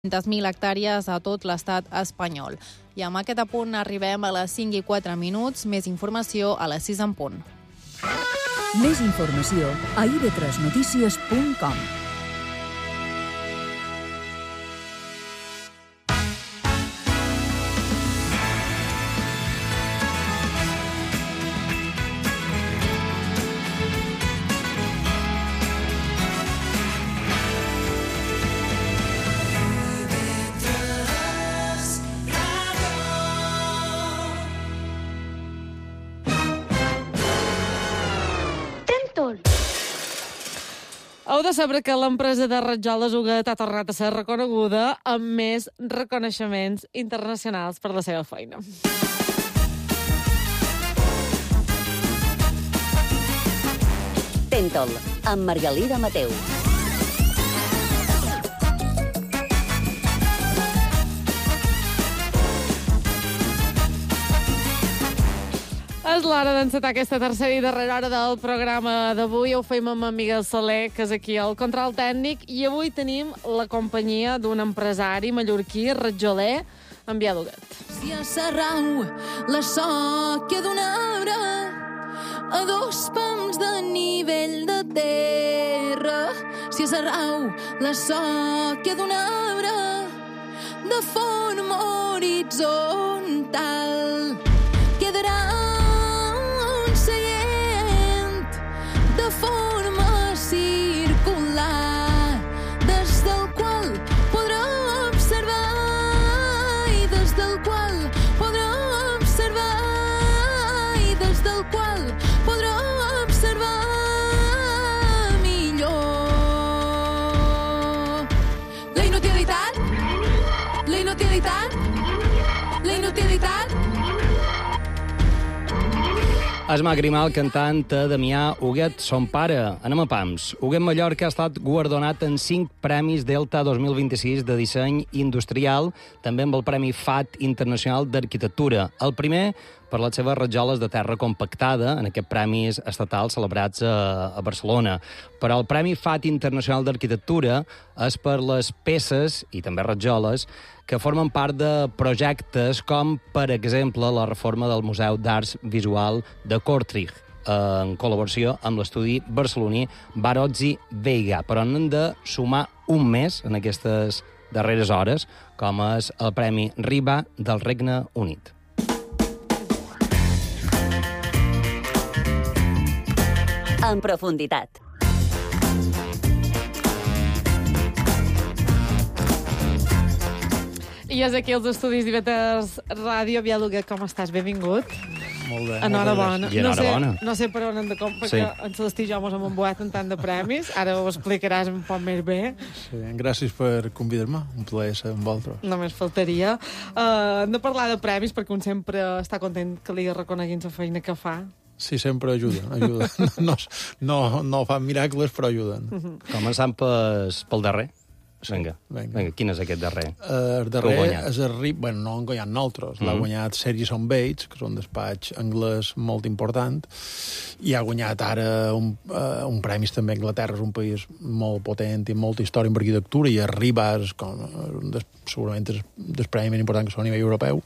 200.000 hectàrees a tot l'estat espanyol. I amb aquest apunt arribem a les 5 i 4 minuts. Més informació a les 6 en punt. Més informació a ib3notícies.com. Heu de saber que l'empresa de rajoles Huguet ha tornat a ser reconeguda amb més reconeixements internacionals per la seva feina. Tentol, amb Margalida Mateu. És l'hora d'encetar aquesta tercera i darrera hora del programa d'avui. Ho fem amb en Miguel Soler, que és aquí al control tècnic, i avui tenim la companyia d'un empresari mallorquí, ratjoler, en Biel Huguet. Si a Sarrau la sòquia d'un arbre a 2 pams de nivell de terra, si a Sarrau la sòquia d'un arbre de forma horitzontal quedarà un seient de forma circular des del qual podrà observar i des del qual podrà observar i des del qual podrà observar millor la inutilitat, la inutilitat, la inutilitat. És Magrimal cantant a Damià Huguet, son pare. Anem a pams. Huguet Mallorca ha estat guardonat en 5 premis Delta 2026 de disseny industrial, també amb el Premi FAT Internacional d'Arquitectura. El primer per les seves rajoles de terra compactada en aquests premis estatals celebrats a Barcelona. Però el Premi FAT Internacional d'Arquitectura és per les peces, i també rajoles, que formen part de projectes com, per exemple, la reforma del Museu d'Arts Visual de Kortrijk, en col·laboració amb l'estudi barceloní Barozzi Veiga. Però n'hem de sumar un més en aquestes darreres hores, com és el Premi Riba del Regne Unit. En profunditat. I és aquí als estudis d'IB3 Ràdio. Biel Huguet, com estàs? Benvingut. Molt bé. Enhorabona. I enhorabona. No sé per on hem de comprar, Sí. perquè en Celestí i jo mos hem embuat en tant de premis. Ara ho explicaràs un poc més bé. Sí, gràcies per convidar-me. Un plaer ser amb vosaltres. Només faltaria. Hem de parlar de premis, perquè un sempre està content que li reconeguin la feina que fa. Sí, sempre ajuden. No fan miracles, però ajuden. Començant pel darrer. Vinga, quin és aquest darrer? El darrer és el RIB, bueno, no han guanyat nosaltres. L'ha guanyat Sergison Bates, que és un despatx anglès molt important, i ha guanyat ara un premis també a Anglaterra. És un país molt potent i molta història en arquitectura, i el RIBA és segurament és el premi més important que són a nivell europeu,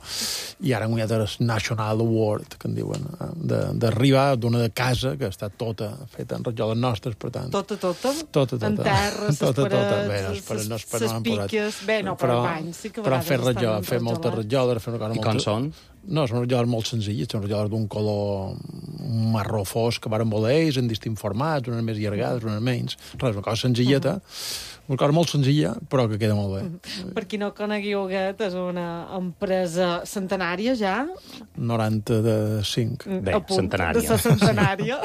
i ara han guanyat el National Award, que en diuen, de RIBA, d'una de casa, que està tota feta en rajoles nostres, per tant. Tota? Tota. En terra, les parets, les piques... Bé, no, però banys sí que però fer rajoles, fer moltes rajoles, fer una cosa molt... I com són? No, són rajoles molt senzilles, són rajoles d'un color marró fosc que varen voler ells en distints formats, unes més allargades, unes menys. Res, una cosa senzilleta, una cosa molt senzilla, però que queda molt bé. Per qui no conegui Huguet, és una empresa centenària ja. 95. Bé, centenària. De la centenària,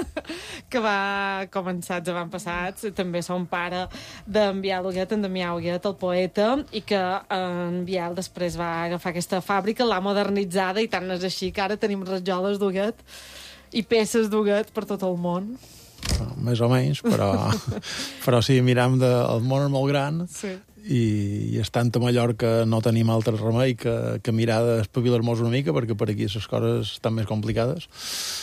que va començar els avantpassats. També som pare d'en Biel Huguet, en Damià Huguet, el poeta, i que en Biel després va agafar aquesta fàbrica, l'ha modernitzada, i tant és així que ara tenim rajoles d'Huguet i peces d'Huguet per tot el món. Més o menys, però sí, miram el món és molt gran, sí. i estant a Mallorca no tenim altre remei que mirar d'espavilar-nos una mica, perquè per aquí les coses estan més complicades.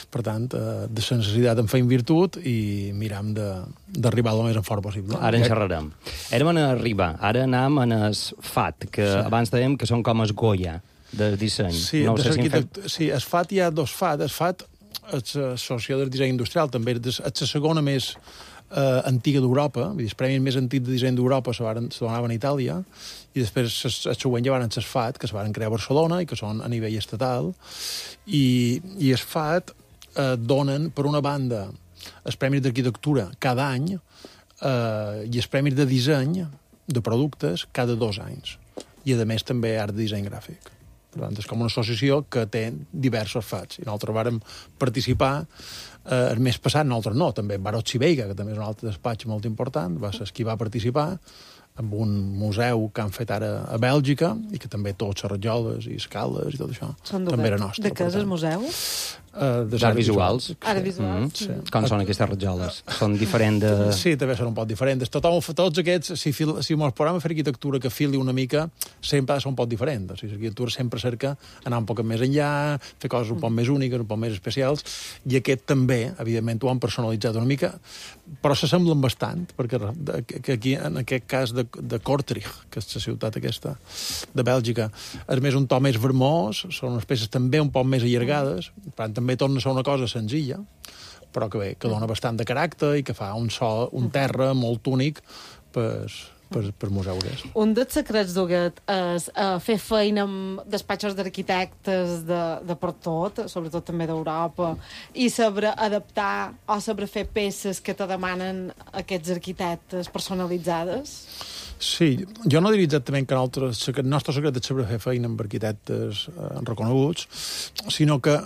Per tant, de la necessitat en feim virtut i miram d'arribar el més en fort possible. Ara en xerrarem. Érem en arribar, ara anam en el FAT, que abans dèiem que són com es Goya de disseny. Sí, no sé sí, el FAT hi ha dos FAT. El FAT és l'Associació del Disseny Industrial, també és la segona més antiga d'Europa, vull dir, els premis més antics de disseny d'Europa se donaven a Itàlia, i després el següent ja van ser els FAT, que es van crear a Barcelona i que són a nivell estatal, i els FAT donen, per una banda, els premis d'arquitectura cada any i els premis de disseny de productes cada 2 anys. I, a més, també art de disseny gràfic. Per tant, és com una associació que té diversos fats. I nosaltres vàrem participar el mes passat, nosaltres no, també Barocci Veiga, que també és un altre despatx molt important, va ser qui va participar en un museu que han fet ara a Bèlgica i que també tots les rajoles i escales i tot això també era nostre. De què és el museu? D'art visuals. Art visuals. Sí. Com són aquestes rajoles? Són diferents de... Sí, també són un poc diferents. Tots aquests, si mos posem a fer arquitectura que fili una mica, sempre són un poc diferents. O sigui, l'arquitectura sempre cerca anar un poc més enllà, fer coses un poc més úniques, un poc més especials, i aquest també, evidentment, ho han personalitzat una mica, però s'assemblen bastant, perquè aquí, en aquest cas de Kortrijk, que és la ciutat aquesta de Bèlgica, és més un to més vermós, són unes peces també un poc més allargades, per tant, també torna a ser una cosa senzilla, però que bé, que dona bastant de caràcter i que fa un terra molt únic per museures. Un dels secrets d'Huguet és fer feina amb despatxos d'arquitectes de per tot, sobretot també d'Europa, i saber adaptar o saber fer peces que te demanen aquests arquitectes personalitzades. Sí, jo no diria exactament que el nostre secret és saber fer feina amb arquitectes reconeguts, sinó que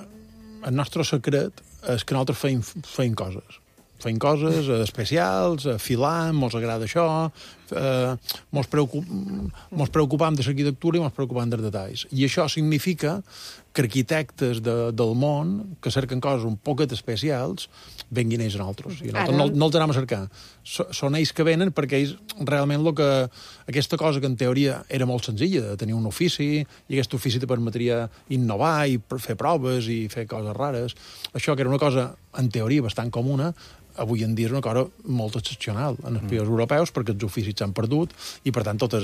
el nostre secret és que nosaltres feim coses. Feim coses especials, filant, mos agrada això, mos preocupam de l'arquitectura i mos preocupam dels detalls. I això significa que arquitectes del món que cerquen coses un poquet especials venguin ells a nosaltres. I nosaltres no els anem a cercar. Són ells que venen perquè ells realment aquesta cosa que en teoria era molt senzilla, de tenir un ofici, i aquest ofici te permetria innovar i fer proves i fer coses rares. Això que era una cosa, en teoria, bastant comuna, avui en dia és una cosa molt excepcional en els països europeus, perquè els oficis s'han perdut i, per tant, tot és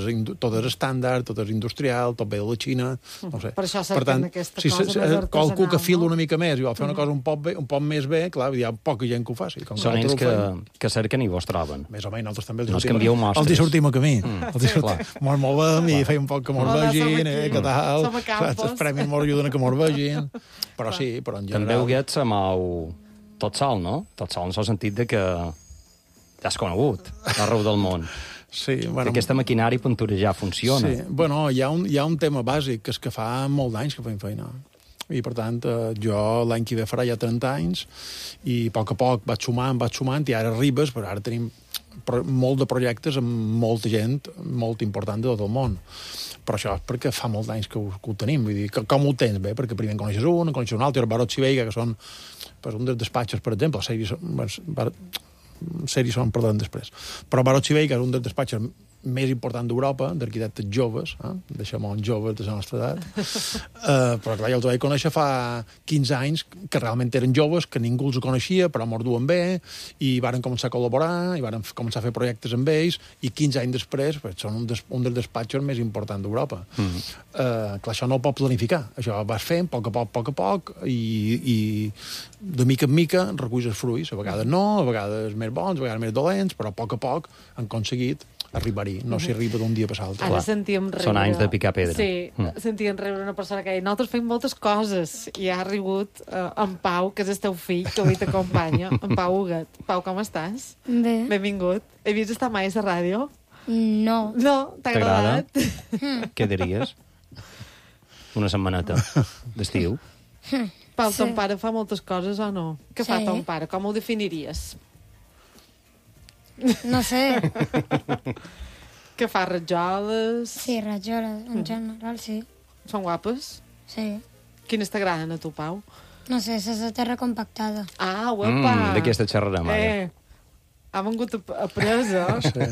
estàndard, tot és industrial, tot ve de la Xina, no sé. Per això cerquen aquesta cosa més artesanal. Qualcú que fila una mica més i vol fer una cosa un poc més bé, clar, hi ha poca gent que ho faci. Són ells que cerquen i vos troben. Més o menys, nosaltres també els hi sortim a camí. Mos movem i feim un poc que mos vegin, que tal. Els premis mos ajuden a que mos vegin. Però sí, però en general... També Huguet se mou tot sol, no? Tot sol en el sentit de que t'has conegut arreu del món. Sí, bueno... Que aquesta maquinària punturejar funciona. Sí, bueno, hi ha un tema bàsic, que és que fa molt d'anys que fem feina. I, per tant, jo l'any que ve farà ja 30 anys i a poc vaig sumant, i ara arribes, però ara tenim molt de projectes amb molta gent molt important de tot el món. Però això és perquè fa molts anys que ho tenim. Vull dir, com ho tens bé? Perquè primer en coneixes un altre, el Barocci Veiga, que són un dels despatxos, per exemple, sèries són parlant després. Però Barocci Veiga és un dels despatxos més important d'Europa, d'arquitectes joves, deixem-ho joves de la nostra edat, però clar, jo els vaig conèixer fa 15 anys, que realment eren joves, que ningú els coneixia, però m'ho duen bé, i varen començar a col·laborar, i varen començar a fer projectes amb ells, i 15 anys després són un dels despatxos més importants d'Europa. Clar, això no ho pot planificar, això vas fent a poc, i de mica en mica reculls els fruits, a vegades no, a vegades més bons, a vegades més dolents, però a poc han aconseguit arribar-hi, no s'hi arriba d'un dia per l'altre. Ara sentíem riure... Són anys de picar pedra. Sí, sentíem riure una persona que deia nosaltres fem moltes coses, i ha rigut en Pau, que és el teu fill, que avui t'acompanya, en Pau Huguet. Pau, com estàs? Bé. Benvingut. He vist estar mai a la ràdio? No. No? T'ha agradat? Què diries? Una setmaneta d'estiu? Pau, ton pare fa moltes coses o no? Què fa ton pare? Com ho definiries? No sé. Que fa rajoles? Sí, rajoles, en general, sí. Són guapes? Sí. Quines t'agraden a tu, Pau? No sé, és la terra compactada. Ah, guapa! D'aquesta xerrarem, ara. ha vengut a presa.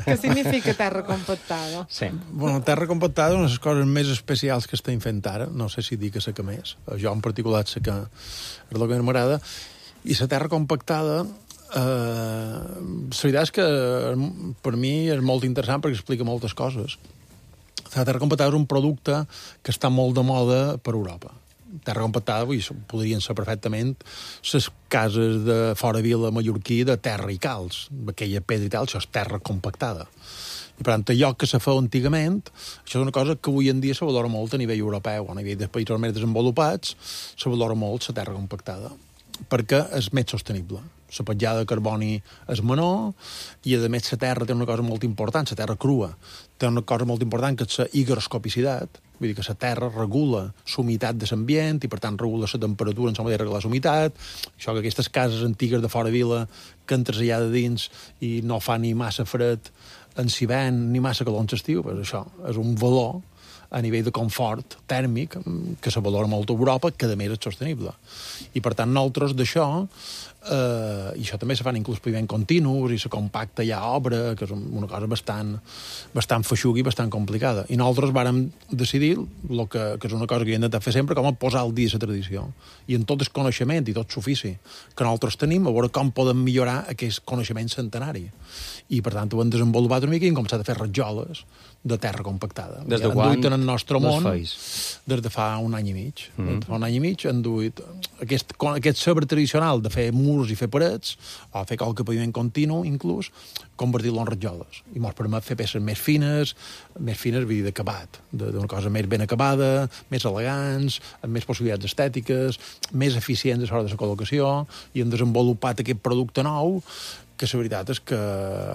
Què significa terra compactada? Sí. Bueno, terra compactada és una de les coses més especials que estem fent ara. No sé si dic que sé que més. Jo en particular sé que és el que m'agrada. I la terra compactada, la veritat és que per mi és molt interessant perquè explica moltes coses. La terra compactada és un producte que està molt de moda per Europa. Terra compactada, podrien ser perfectament les cases de fora vila mallorquí de terra i calç, aquella pedra i tal, això és terra compactada. I, per tant, allò que se feia antigament, això és una cosa que avui en dia se valora molt a nivell europeu, a nivell de països més desenvolupats, se valora molt la terra compactada, perquè és més sostenible. La petjada de carboni és menor i, a més, la terra té una cosa molt important, la terra crua, té una cosa molt important que és la higroscopicitat, vull dir que la terra regula la humitat de l'ambient i, per tant, regula la temperatura en la manera de regular la humitat. Això que aquestes cases antigues de fora vila que entres allà de dins i no fa ni massa fred en hivern ni massa calor en l'estiu, pues això és un valor a nivell de confort tèrmic que se valora molt a Europa, que a més és sostenible. I, per tant, nosaltres d'això, i això també se fan inclús paviments continus i se compacta ja obra, que és una cosa bastant feixuga i bastant complicada. I nosaltres vàrem decidir, que és una cosa que hem intentat fer sempre, com a posar al dia la tradició. I en tot el coneixement i tot l'ofici que nosaltres tenim, a veure com podem millorar aquest coneixement centenari. I, per tant, ho hem desenvolupat una mica i hem començat a fer rajoles de terra compactada. Des de quan en el nostre món, feis? des de fa un any i mig. Fa un any i mig han duit aquest saber tradicional de fer murs i fer parets, o fer qualque paviment continu, inclús, convertir-lo en rajoles. I ens permet fer peces més fines, vull dir, d'acabat, d'una cosa més ben acabada, més elegants, amb més possibilitats estètiques, més eficients a l'hora de la col·locació, i hem desenvolupat aquest producte nou que la veritat és que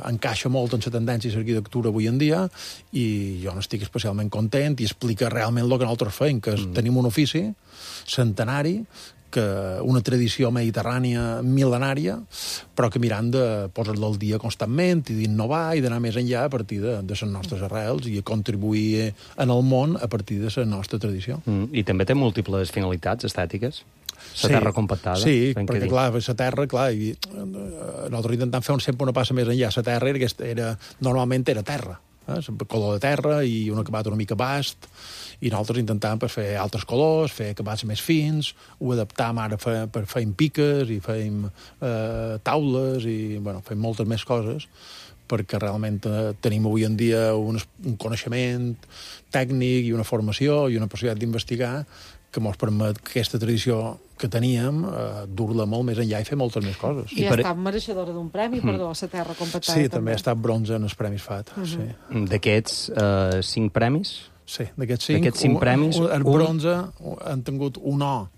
encaixa molt en la tendència i l'arquitectura avui en dia, i jo n'estic especialment content i explica realment el que nosaltres feim, que és, tenim un ofici centenari, que una tradició mediterrània mil·lenària, però que mirant de posar-la al dia constantment i d'innovar i d'anar més enllà a partir de les nostres arrels i a contribuir en el món a partir de la nostra tradició. I també té múltiples finalitats estètiques? La terra compactada? Sí, perquè, clar, la terra, i nosaltres intentant fer sempre una passa més enllà. La terra normalment era terra, color de terra i un acabat una mica bast, i nosaltres intentàvem fer altres colors, fer acabats més fins, ho adaptàvem ara per fem piques i fem taules i, fem moltes més coses, perquè realment tenim avui en dia un coneixement tècnic i una formació i una possibilitat d'investigar que ens permet que aquesta tradició que teníem dur-la molt més enllà i fer moltes més coses. I ha estat mereixedora d'un premi, perdó, a la terra compactada. Sí, també ha estat bronze en els Premis FAT. Sí. D'aquests 5 premis? Sí, d'aquests 5 premis... El bronze han tingut una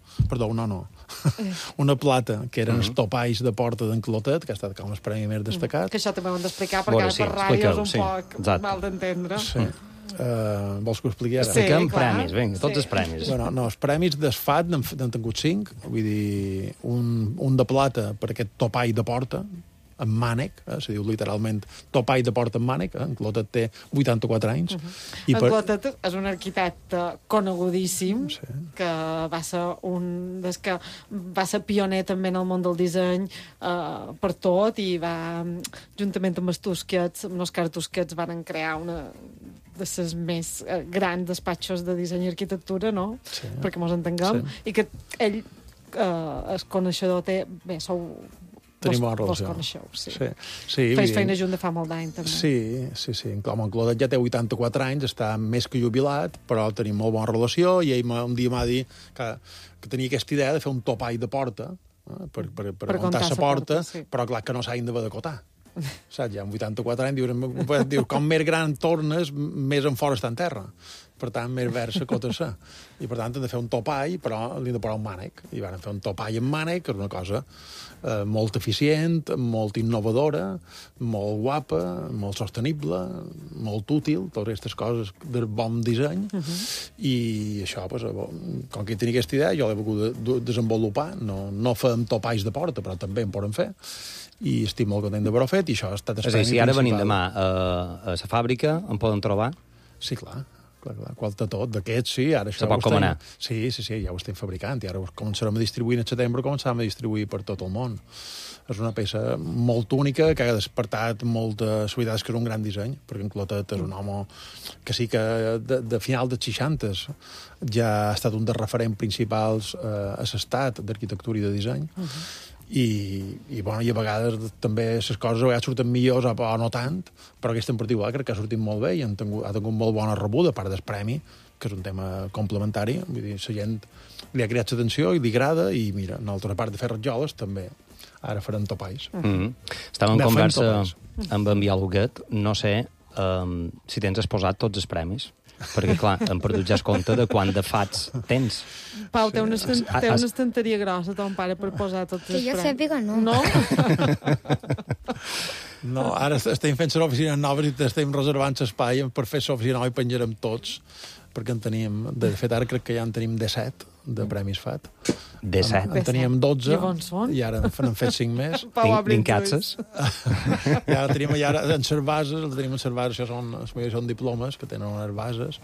plata, que eren els topalls de porta d'en Clotet, que ha estat com el premi més destacat. Que això també ho hem d'explicar, perquè ara per ràdio és un poc mal d'entendre. Sí. Vols que ho expliqui ara? Expliquem premis, vinga, tots els premis. No, els premis d'ESFAT n'han tingut 5, vull dir, un de plata per aquest topall de porta, en mànec, se diu literalment topall de porta en mànec, en Clotet té 84 anys. En Clotet és un arquitecte conegudíssim, que va ser pioner també en el món del disseny per tot, i va, juntament amb els Tusquets, amb l'Òscar Tusquets, van crear una de les més grans despatxos de disseny i arquitectura, no? Sí. Perquè mos entenguem. Sí. I que ell, el coneixedor, té... Bé, sou... Tenim bona relació. Vos coneixeu, sí. Sí, feis feina junt de fa molt d'any, també. Sí. Com en Clodet ja té 84 anys, està més que jubilat, però tenim molt bona relació, i ell un dia m'ha dit que tenia aquesta idea de fer un topall de porta, per muntar la porta, sí. Però clar que no s'ha d'haver d'acotar. Saps? Ja amb 84 anys dius, com més gran tornes, més en fora està en terra. Per tant, més verd s'acota-se. I per tant, hem de fer un topall, però li hem de posar un mànec. I van fer un topall amb mànec, que és una cosa molt eficient, molt innovadora, molt guapa, molt sostenible, molt útil, totes aquestes coses de bon disseny. I això, com que tenia aquesta idea, jo l'he volgut desenvolupar. No fem topalls de porta, però també en podem fer. I estic molt content d'haver-ho fet, i això ha estat el premi principal. Si ara venim demà a la fàbrica, em poden trobar? Sí, clar. qual de tot. D'aquests, sí, ara això... Se pot comanar. Sí, ja ho estem fabricant, i ara ho començarem a distribuir en setembre, començarem a distribuir per tot el món. És una peça molt única, que ha despertat molta solidaritat, que és un gran disseny, perquè en Clotet és un home que sí que de final dels 60 ja ha estat un dels referents principals a l'estat d'arquitectura i de disseny, i a vegades també les coses a vegades surten millors o no tant, però aquesta en particular crec que ha sortit molt bé i ha tingut molt bona rebuda, a part del premi, que és un tema complementari. Vull dir, la gent li ha creat l'atenció i li agrada, i mira, nosaltres, a part de fer ratjoles, també ara farem topalls. Estàvem en conversa amb en Biel Huguet. No sé si tens exposat tots els premis, perquè, clar, hem perdut ja el compte de quant de fats tens. Pau, té una estanteria grossa, ton pare, per posar tots els premis. Que jo sàpiga, no. No? No, ara estem fent les oficines noves i estem reservant l'espai per fer l'oficina nova i penjarem tots, perquè en teníem, de fet, ara crec que ja en tenim 17 de premis FAT. 17? En teníem 12 i ara n'han fet 5 més. Vincatses. Ja tenim en les bases, això són diplomes que tenen unes bases,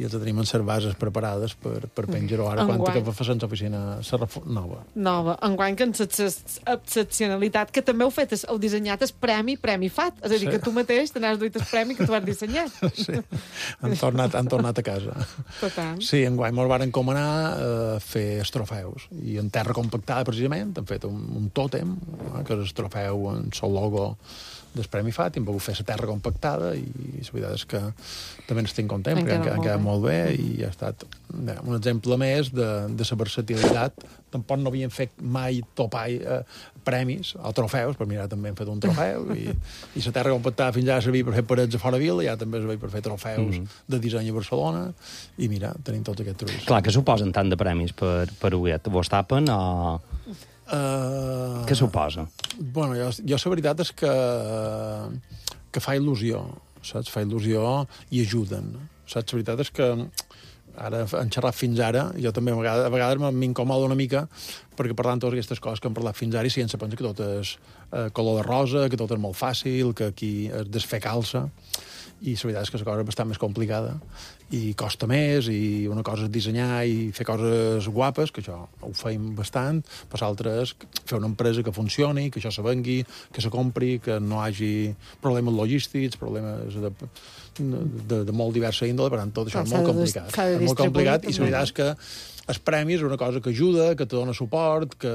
i els tenim en les bases preparades per penjar-ho ara, quan que fa l'oficina nova. Nova. Enguany que en l'excepcionalitat que també heu dissenyat el premi FAT. És a dir, que tu mateix te n'has duit el premi que tu has dissenyat. Sí, han tornat a casa. Total. Sí, enguany me'l van encomanar a fer els trofeus, i en terra compactada, precisament, han fet un tòtem, que és el trofeu en el logo del Premi FAT, i hem pogut fer la terra compactada, i la veritat és que també n'estic content, perquè han quedat molt bé, i ha estat un exemple més de la versatilitat. Tampoc no havien fet mai premis o trofeus, però mira, també hem fet un trofeu, i la terra compactada fins ara servia per fer parets a fora vila, i ara també servia per fer trofeus de disseny a Barcelona, i mira, tenim tots aquests trucs. Clar, que suposen tant de premis per Huguet? Vos tapen o... Què suposa? Bueno, jo la veritat és que fa il·lusió, saps? Fa il·lusió i ajuden, saps? La veritat és que ara han xerrat fins ara, jo també a vegades m'incomoda una mica, perquè parlant totes aquestes coses que hem parlat fins ara, i si ens pensa que tot és color de rosa, que tot és molt fàcil, que aquí es desfer calça, i la veritat és que la cosa és bastant més complicada i costa més, i una cosa és dissenyar i fer coses guapes, que això ho feim bastant, però l'altre és fer una empresa que funcioni, que això se vengui, que se compri, que no hi hagi problemes logístics, problemes de molt diversa índole, per tant, tot això és molt complicat. És molt complicat, i la veritat és que els premis és una cosa que ajuda, que te dona suport, que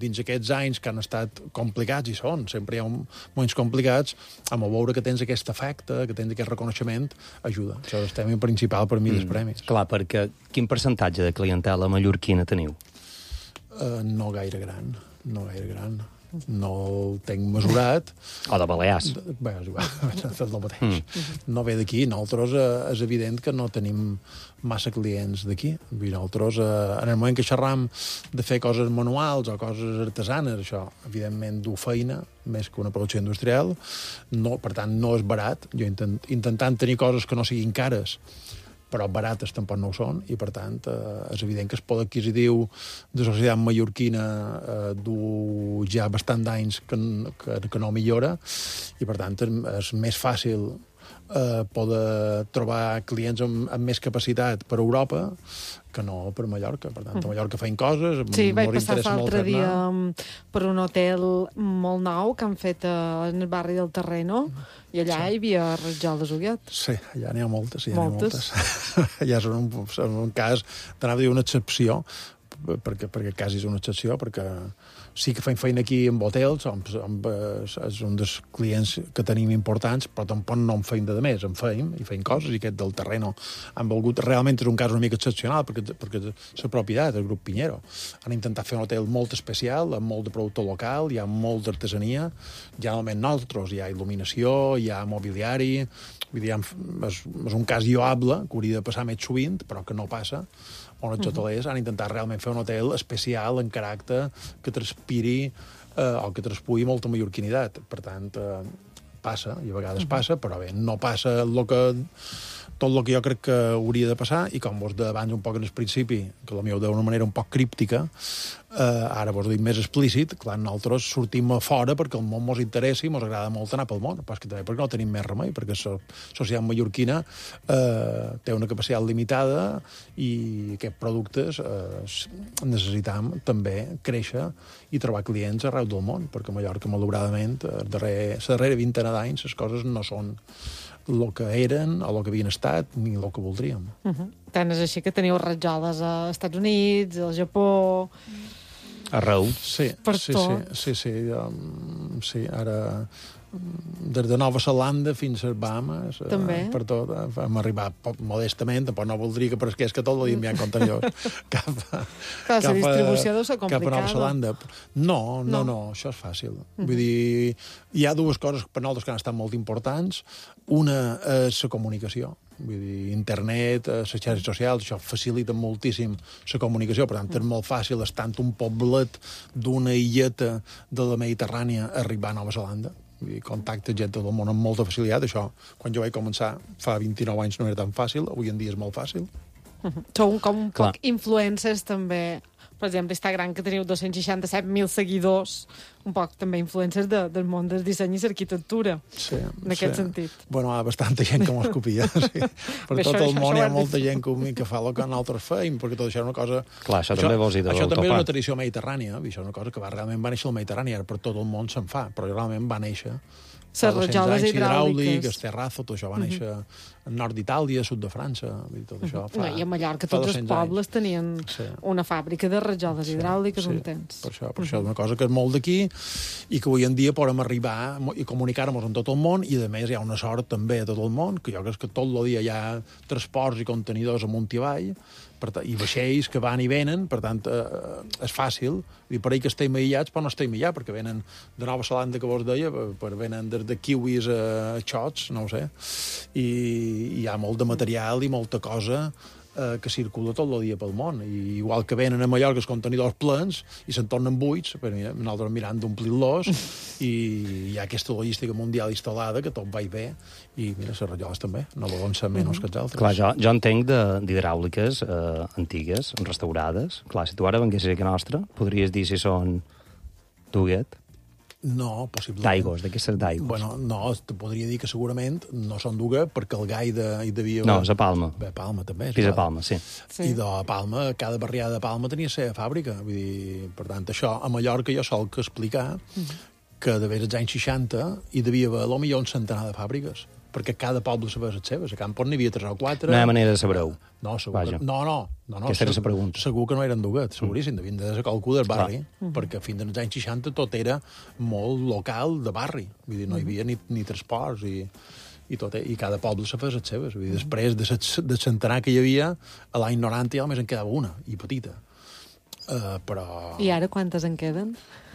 dins aquests anys que han estat complicats, i sempre hi ha moments complicats, amb veure que tens aquest efecte, que tens aquest reconeixement, ajuda. Això és el tema principal per mi dels premis. Clar, perquè quin percentatge de clientela mallorquina teniu? No gaire gran. No el tenc mesurat. O de Balears. Bé, és igual, és el mateix. No ve d'aquí. Nosaltres és evident que no tenim massa clients d'aquí. Nosaltres, en el moment que xerram de fer coses manuals o coses artesanes, això, evidentment, du feina, més que una producció industrial. No, per tant, no és barat. Jo intentant tenir coses que no siguin cares, però barates tampoc no ho són, i per tant és evident que el poder adquisitiu de la societat mallorquina du ja bastant d'anys que no millora, i per tant és més fàcil poder trobar clients amb més capacitat per Europa que no per Mallorca. Per tant, a Mallorca feien coses... Sí, vaig passar l'altre dia per un hotel molt nou que han fet en el barri del Terreno, i allà hi havia ratjoles Huguet. Sí, allà n'hi ha moltes. Allà és un cas, t'anava a dir una excepció, perquè quasi és una excepció, perquè sí que fem feina aquí amb hotels, és un dels clients que tenim importants, però tampoc no en feim de més, en feim coses, i aquest del Terreno han volgut, realment és un cas una mica excepcional, perquè la propietat, el grup Piñero, han intentat fer un hotel molt especial, amb molt de producte local, hi ha molt d'artesania, generalment nosaltres, hi ha il·luminació, hi ha mobiliari, vull dir, és un cas lloable, que hauria de passar més sovint, però que no passa, on els hotelers han intentat realment fer un hotel especial en caràcter que transpiri o que traspugui molta mallorquinitat. Per tant, passa, i a vegades passa, però bé, no passa tot el que jo crec que hauria de passar, i com vos deia abans un poc en el principi, que la meva d'una manera un poc críptica, Ara vos dic més explícit, clar, nosaltres sortim a fora perquè el món mos interessa i mos agrada molt anar pel món, però és que també perquè no tenim més remei, perquè la societat mallorquina té una capacitat limitada i aquests productes necessitam també créixer i trobar clients arreu del món, perquè a Mallorca, malauradament, la darrera vintena d'anys les coses no són el que eren o el que havien estat ni el que voldríem. Tant és així que teniu rajoles als Estats Units, al Japó... Arreu. Sí, per sí, tot. sí, ara des de Nova Zelanda fins a Bahamas, per tot, hem arribat modestament, però no voldria que presqués que tot l'havien enviat contenidors la distribució deu ser complicada. cap a Nova Zelanda. No, això és fàcil. Vull dir, hi ha dues coses per nosaltres que han estat molt importants. Una és la comunicació. Vull dir, internet, les xarxes socials, això facilita moltíssim la comunicació, per tant, és molt fàcil, estant un poblet d'una illeta de la Mediterrània, arribar a Nova Zelanda. Vull dir, contacte gent del món amb molta facilitat. Això, quan jo vaig començar fa 29 anys, no era tan fàcil, avui en dia és molt fàcil. Sou com un poc influencers, també. Per exemple, Instagram, que teniu 267.000 seguidors, un poc també influencers del món del disseny i l'arquitectura, en aquest sentit. Bueno, hi ha bastanta gent que m'ho copia, sí. Per tot el món hi ha molta gent que fa el que nosaltres feim, perquè tot això és una cosa... Clar, això també vols dir de Això també és una tradició mediterrània, això és una cosa que realment va néixer al Mediterrani, ara per tot el món se'n fa, però realment va néixer... Les rajoles hidràuliques. El terrazzo, tot això va néixer al nord d'Itàlia, sud de França, tot això fa... I a Mallorca tots els pobles tenien una fàbrica de rajoles hidràuliques un temps. Per això és una cosa que és molt d'aquí i que avui en dia podem arribar i comunicar-nos amb tot el món, i a més hi ha una sort també a tot el món, que jo crec que tot el dia hi ha transports i contenidors amunt i avall, i vaixells que van i venen, per tant, és fàcil. I per ahir que estem aïllats, però no estem aïllats, perquè venen de Nova Zelanda, que vos deia, venen de kiwis a xots, no ho sé, i hi ha molt de material i molta cosa que circula tot el dia pel món. I igual que venen a Mallorca els contenidors plens i se'n tornen buits, però nosaltres mirant d'omplir-los, i hi ha aquesta logística mundial instal·lada que tot va i ve, i mira, les rajoles també, no volen ser menys que els altres. Clar, jo entenc d'hidràuliques antigues, restaurades. Clar, si tu ara venguessis aquí a nostra, podries dir si són d'Huguet? No, possiblement. D'aigos, de què ser d'aigos? Bueno, no, te podria dir que segurament no són d'Huguet, perquè el gai hi devia... No, és a Palma. Bé, Palma també. És a Palma, sí. I de Palma, cada barriada de Palma tenia la seva fàbrica. Vull dir, per tant, això, a Mallorca jo sol que explicar que de als anys 60 hi devia haver potser un centenar de fàbriques, perquè cada poble sabia les seves. A Campos n'hi havia 3 o 4. No hi ha manera de saber-ho. No, segur que... No. Aquesta era la pregunta. Segur que no eren d'Huguet, seguríssim, devien de ser qualcú del barri, perquè fins als anys 60 tot era molt local de barri. Vull dir, no hi havia ni transports i tot, i cada poble se feia les seves. Vull dir, després de centenar que hi havia, a l'any 90 ja només en quedava una, i petita. Però... I ara quantes en queden?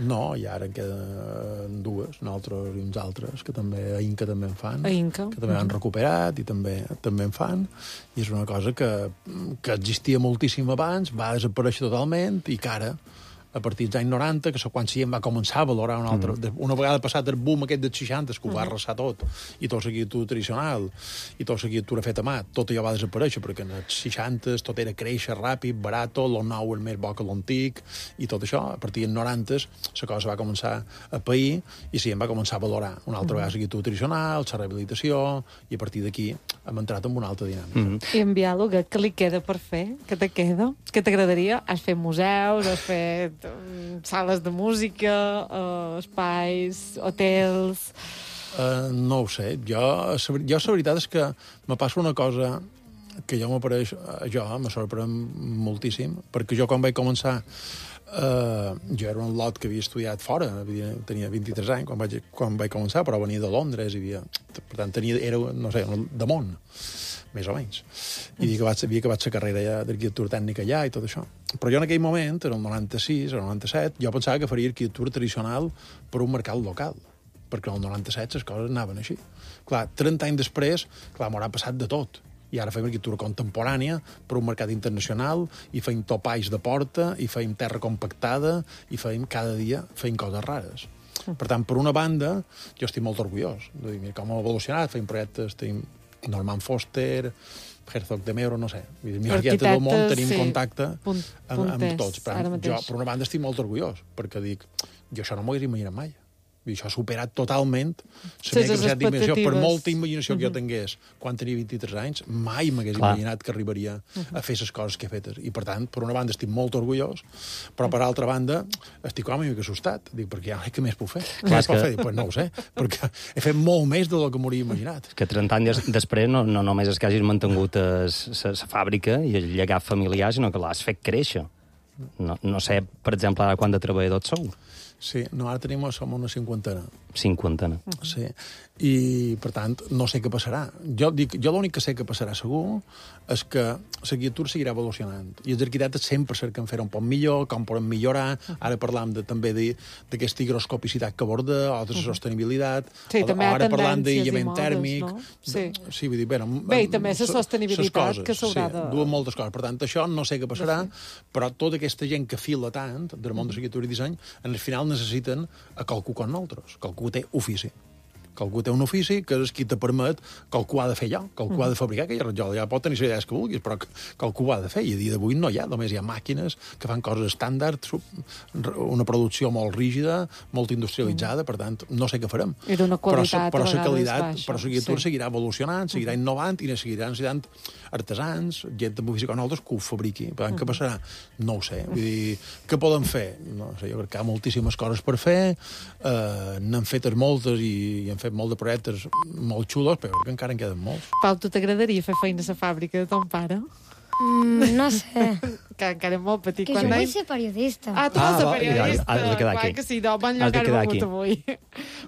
No, i ara en queden 2, nosaltres i uns altres, que també a Inca també en fan. A Inca. Que també han recuperat i també en fan. I és una cosa que existia moltíssim abans, va desaparèixer totalment, i que ara, a partir dels anys 90, que quan la gent va començar a valorar una altra... Una vegada passat el boom aquest dels 60, que ho va arrasar tot, i tota l'arquitectura tradicional, i tota l'arquitectura feta a mà, tot allò va desaparèixer, perquè en els 60 tot era créixer ràpid, barat, el nou és més bo que l'antic, i tot això, a partir dels 90, la cosa va començar a pair, i la gent va començar a valorar una altra vegada l'arquitectura tradicional, la rehabilitació, i a partir d'aquí hem entrat en una altra dinàmica. I en Biàloga, què li queda per fer? Què te queda? Què t'agradaria? Has fet museus, has fet sales de música, espais, hotels... No ho sé. Jo la veritat és que me passa una cosa que jo m'apareix... me sorprèn moltíssim, perquè jo quan vaig començar... jo era un lot que havia estudiat fora, tenia 23 anys quan vaig començar, però venia de Londres, per tant, era, no sé, de món, més o menys. I havia acabat la carrera d'arquitectura tècnica allà i tot això. Però jo en aquell moment, en el 96, el 97, jo pensava que faria arquitectura tradicional per un mercat local, perquè en el 97 les coses anaven així. Clar, 30 anys després, clar, m'haurà passat de tot. I ara fem arquitectura contemporània per un mercat internacional, i fem topalls de porta, i fem terra compactada, i cada dia fem coses rares. Per tant, per una banda, jo estic molt orgullós de dir, mira com hem evolucionat, fem projectes, tenim Norman Foster, Herzog de Mero, no sé. Vull dir, arquitectes del món tenim contacte amb punters, tots. Però ara jo, mateix. per una banda, estic molt orgullós, perquè dic, jo això no m'ho hagués imaginat mai. I això ha superat totalment la meva capacitat d'imaginació. Per molta imaginació que jo tingués quan tenia 23 anys, mai m'hagués imaginat que arribaria a fer les coses que he fetes. I, per tant, per una banda estic molt orgullós, però per altra banda estic com una mica assustat. Dic, perquè ja, què més puc fer? Què més puc fer? Dic, pues no ho sé, perquè he fet molt més del que m'hauria imaginat. Que 30 anys després no només és que hagis mantingut la fàbrica i el llegat familiar, sinó que l'has fet créixer. No sé, per exemple, ara quant de treballadors sou? Sí, no, ara som una cinquantena. Sí, i, per tant, no sé què passarà. Jo l'únic que sé que passarà segur és que l'arquitectura seguirà evolucionant. I els arquitectes sempre cerquen fer un poc millor, com podem millorar. Ara parlam també d'aquesta higroscopicitat que aborda, o de la sostenibilitat. Sí, també hi ha ara parlam tendències d'aïllament tèrmic. No? Sí, vull dir, bé, i també la sostenibilitat que s'haurà de... Sí, duen moltes coses. Per tant, això no sé què passarà, però tota aquesta gent que fila tant del món de l'arquitectura i disseny, en el final necessiten a qualcú com nosaltres. Qualcú té ofici. Qualcú té un ofici que és qui te permet, qualcú ha de fer allò, qualcú ha de fabricar aquell rajol. Ja pot tenir les idees que vulguis, però qualcú ho ha de fer. I a dia d'avui no hi ha, només hi ha màquines que fan coses estàndards, una producció molt rígida, molt industrialitzada, per tant, no sé què farem. I d'una qualitat però a vegades baixa. Però l'arquitectura seguirà evolucionant, seguirà innovant i seguiran necessitant artesans, gent amb ofici com nosaltres que ho fabriqui. Per tant, què passarà? No ho sé. Vull dir, què podem fer? No sé, jo crec que hi ha moltíssimes coses per fer, n'han fetes moltes i han fet molt de projectes molt xulos, però que encara en queden molts. Pau, tu t'agradaria fer feina a la fàbrica de ton pare? No sé. Que encara és molt petit. Que jo vull ser periodista. Tu vols ser periodista? Has de quedar aquí. Que sí, no, bon lloc ara begut avui.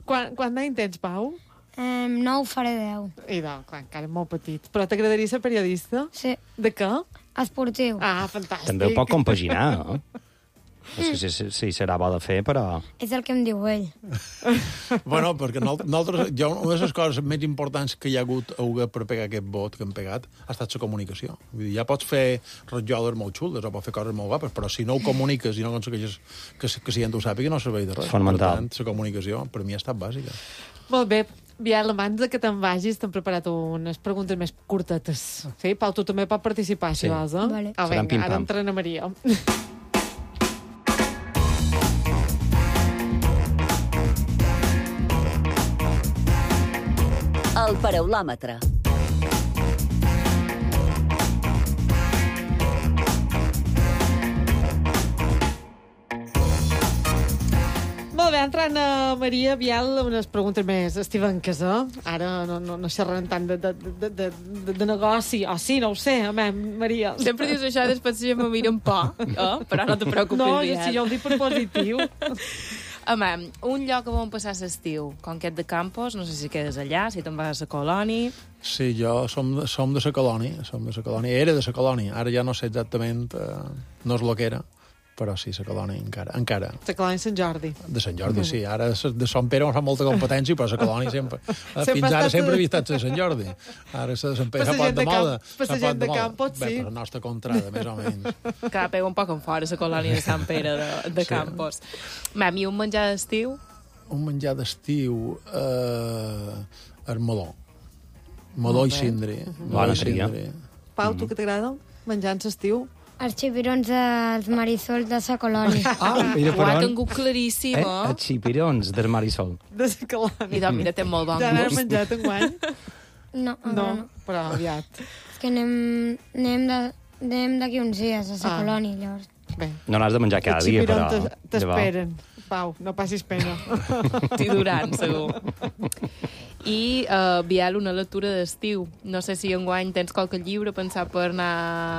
Quant d'any tens, Pau? 9 faré 10. I no, clar, encara és molt petit. Però t'agradaria ser periodista? Sí. De què? Esportiu. Fantàstic. També ho pot compaginar, no? No sé si serà bo de fer, però... És el que em diu ell. Bueno, perquè nosaltres, una de les coses més importants que hi ha hagut per pegar aquest vot que hem pegat ha estat la comunicació. Vull dir, ja pots fer rajoles molt xules o pots fer coses molt guapes, però si no ho comuniques i no aconsegueixes que la gent ho sàpiga, no serveix de res. Fonamental. Per tant, la comunicació per mi ha estat bàsica. Molt bé. Biel, abans que te'n vagis, t'hem preparat unes preguntes més curtetes. Sí? Pau, tu també pots participar, si vols, eh? Vale. Vinga, ara entra na Maria. El paraulòmetre. Molt bé, entrant a Maria Biel, unes preguntes més estivenques, Ara no xerrem tant de negoci, o sí, no ho sé, Maria. Sempre dius això, després ja me miren por, però no te preocupis, Biel. No, si jo ho dic per positiu. Home, un lloc on passar l'estiu, Conquet de Campos, no sé si quedes allà, si te'n vas a la colònia... Sí, jo som de la colònia, era de la colònia, ara ja no sé exactament, no és el que era, però sí, la colònia encara. La colònia Sant Jordi. De Sant Jordi, sí. Ara de Sant Pere no fa molta competència, però la colònia sempre... Fins ara sempre havia estat de Sant Jordi. Ara la de Sant Pere pot de moda. Per la gent de Campos, sí. Bé, per la nostra contrada, més o menys. Que pega un poc en fora la colònia de Sant Pere de Campos. I un menjar d'estiu? Un menjar d'estiu... el meló. Meló i cindri. Bona tria. Pau, tu què t'agrada? Menjar en l'estiu? Els xipirons dels Marisol de la colònia. Mira per Ho ha on. tingut claríssim, Els xipirons del Marisol. De la colònia. I doncs, mira, té molt bon Ja n'has gust. menjat enguany? No, No, però aviat. És que anem d'aquí uns dies a la colònia, llavors. Bé. No n'has de menjar cada Els dia, però... xipirons t'esperen. Pau, no passis pena. T'hi duran, segur. I, Biel, una lectura d'estiu. No sé si enguany tens qualque llibre pensat per anar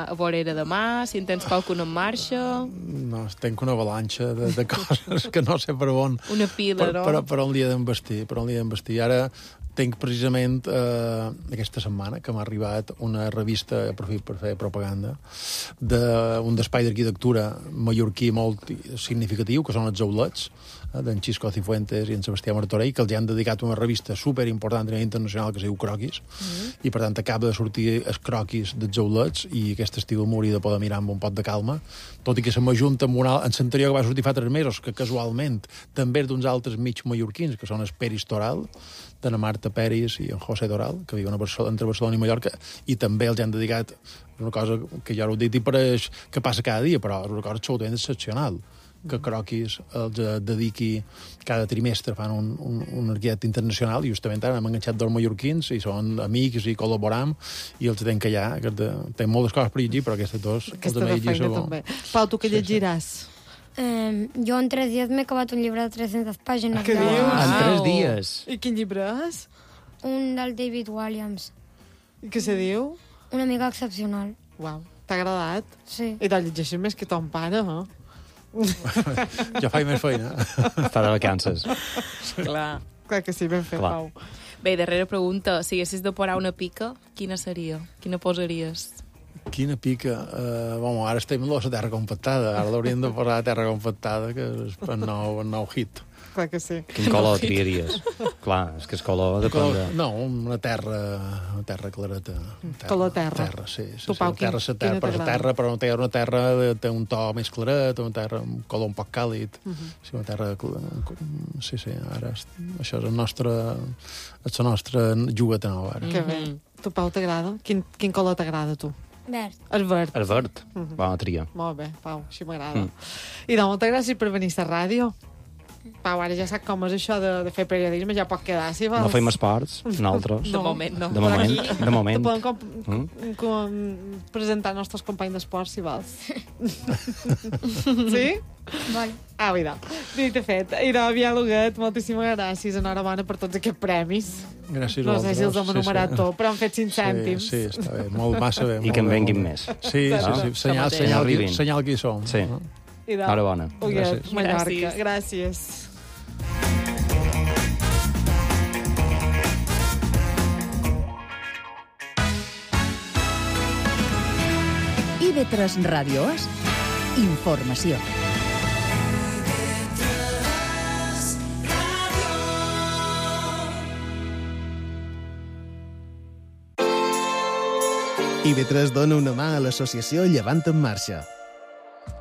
a Vorera demà, si en tens qualcun en marxa... No, tenc una avalanxa de coses que no sé per on... Una pila, no? Per on li he d'envestir. Ara tinc precisament aquesta setmana que m'ha arribat una revista, aprofit per fer propaganda, d'un espai d'arquitectura mallorquí molt significatiu, que són els Aulets, d'en Xisco Cifuentes i en Sebastià Martorell, que els han dedicat una revista superimportant a nivell internacional que es diu Croquis, i per tant acaba de sortir els croquis dels Aulets, i aquest estiu m'hauria de poder mirar amb un pot de calma, tot i que se m'ajunta amb una... En l'anterior que va sortir fa 3 mesos, que casualment també és d'uns altres mig mallorquins, que són el Peris Toral, d'Anna Marta Peris i en José Doral, que viuen entre Barcelona i Mallorca, i també els han dedicat una cosa que jo ho he dit i pareix que passa cada dia, però és una cosa absolutament excepcional, que Croquis els dediqui cada trimestre, fan un arquet internacional, i justament ara hem enganxat dos mallorquins, i són amics i col·laboram, i els tenen que allà, que tenen moltes coses per llegir, però aquestes dos... Aquesta de feina també. Pau, tu què llegiràs? Jo en 3 dies m'he acabat un llibre de 300 pàgines. Què dius? En 3 dies? I quin llibre és? Un del David Walliams. I què se diu? Una amiga excepcional. Uau, t'ha agradat? Sí. I te'l llegeixes més que ton pare, eh? Jo faig més feina. Està de vacances. Clar que sí, ben fet, Pau. Bé, darrera pregunta. Si haguessis de posar una pica, quina seria? Quina posaries? Quina pica. Ara estem a la terra compactada. Ara l'hauríem de posar a terra compactada, que és el nou hit. Clar que sí. Quin color triaries? Clar, és que el color depèn de... No, una terra clareta. Color terra. Sí. Tu, Pau, quina t'agrada? Però no té una terra, té un to més claret, una terra, un color un poc càlid. Sí, una terra... Sí, ara això és la nostra jugueta nova, ara. Que bé. Tu, Pau, t'agrada? Quin color t'agrada, tu? Verd. El verd. Bona tria. Molt bé, Pau, així m'agrada. I doncs, moltes gràcies per venir a ràdio. Pau, ara ja sap com és això de fer periodisme, ja pot quedar, si vols. No fem esports, nosaltres. De moment, no. De moment. Te podem presentar els nostres companys d'esport, si vols. Sí? Vale. Mira, dit i fet. Biel Huguet, moltíssimes gràcies. Enhorabona per tots aquests premis. Gràcies no sé si els hem enumerat tot, però han fet 5 cèntims. Sí, està bé, massa bé. I que en venguin més. Sí, senyal que hi som. Sí. Enhorabona. Huguet, Mallorca. Gràcies. IB3 Ràdio és informació. IB3 dona una mà a l'associació Llevant en Marxa.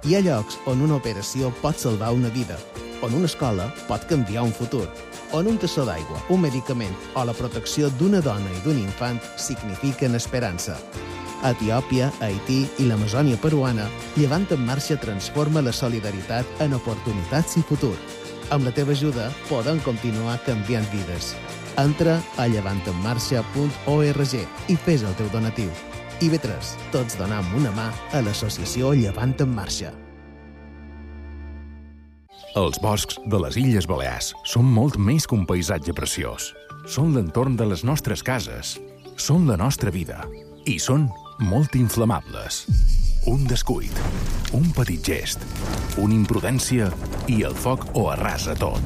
Hi ha llocs on una operació pot salvar una vida, on una escola pot canviar un futur, on un tassó d'aigua, un medicament o la protecció d'una dona i d'un infant signifiquen esperança. A Etiòpia, Haití i l'Amazònia peruana, Llevant en Marxa transforma la solidaritat en oportunitats i futur. Amb la teva ajuda podem continuar canviant vides. Entra a llevantenmarxa.org i fes el teu donatiu. IB3, tots donam una mà a l'associació Llevant en Marxa. Els boscs de les Illes Balears són molt més que un paisatge preciós. Són l'entorn de les nostres cases, són la nostra vida i són molt inflamables. Un descuit, un petit gest, una imprudència i el foc ho arrasa tot.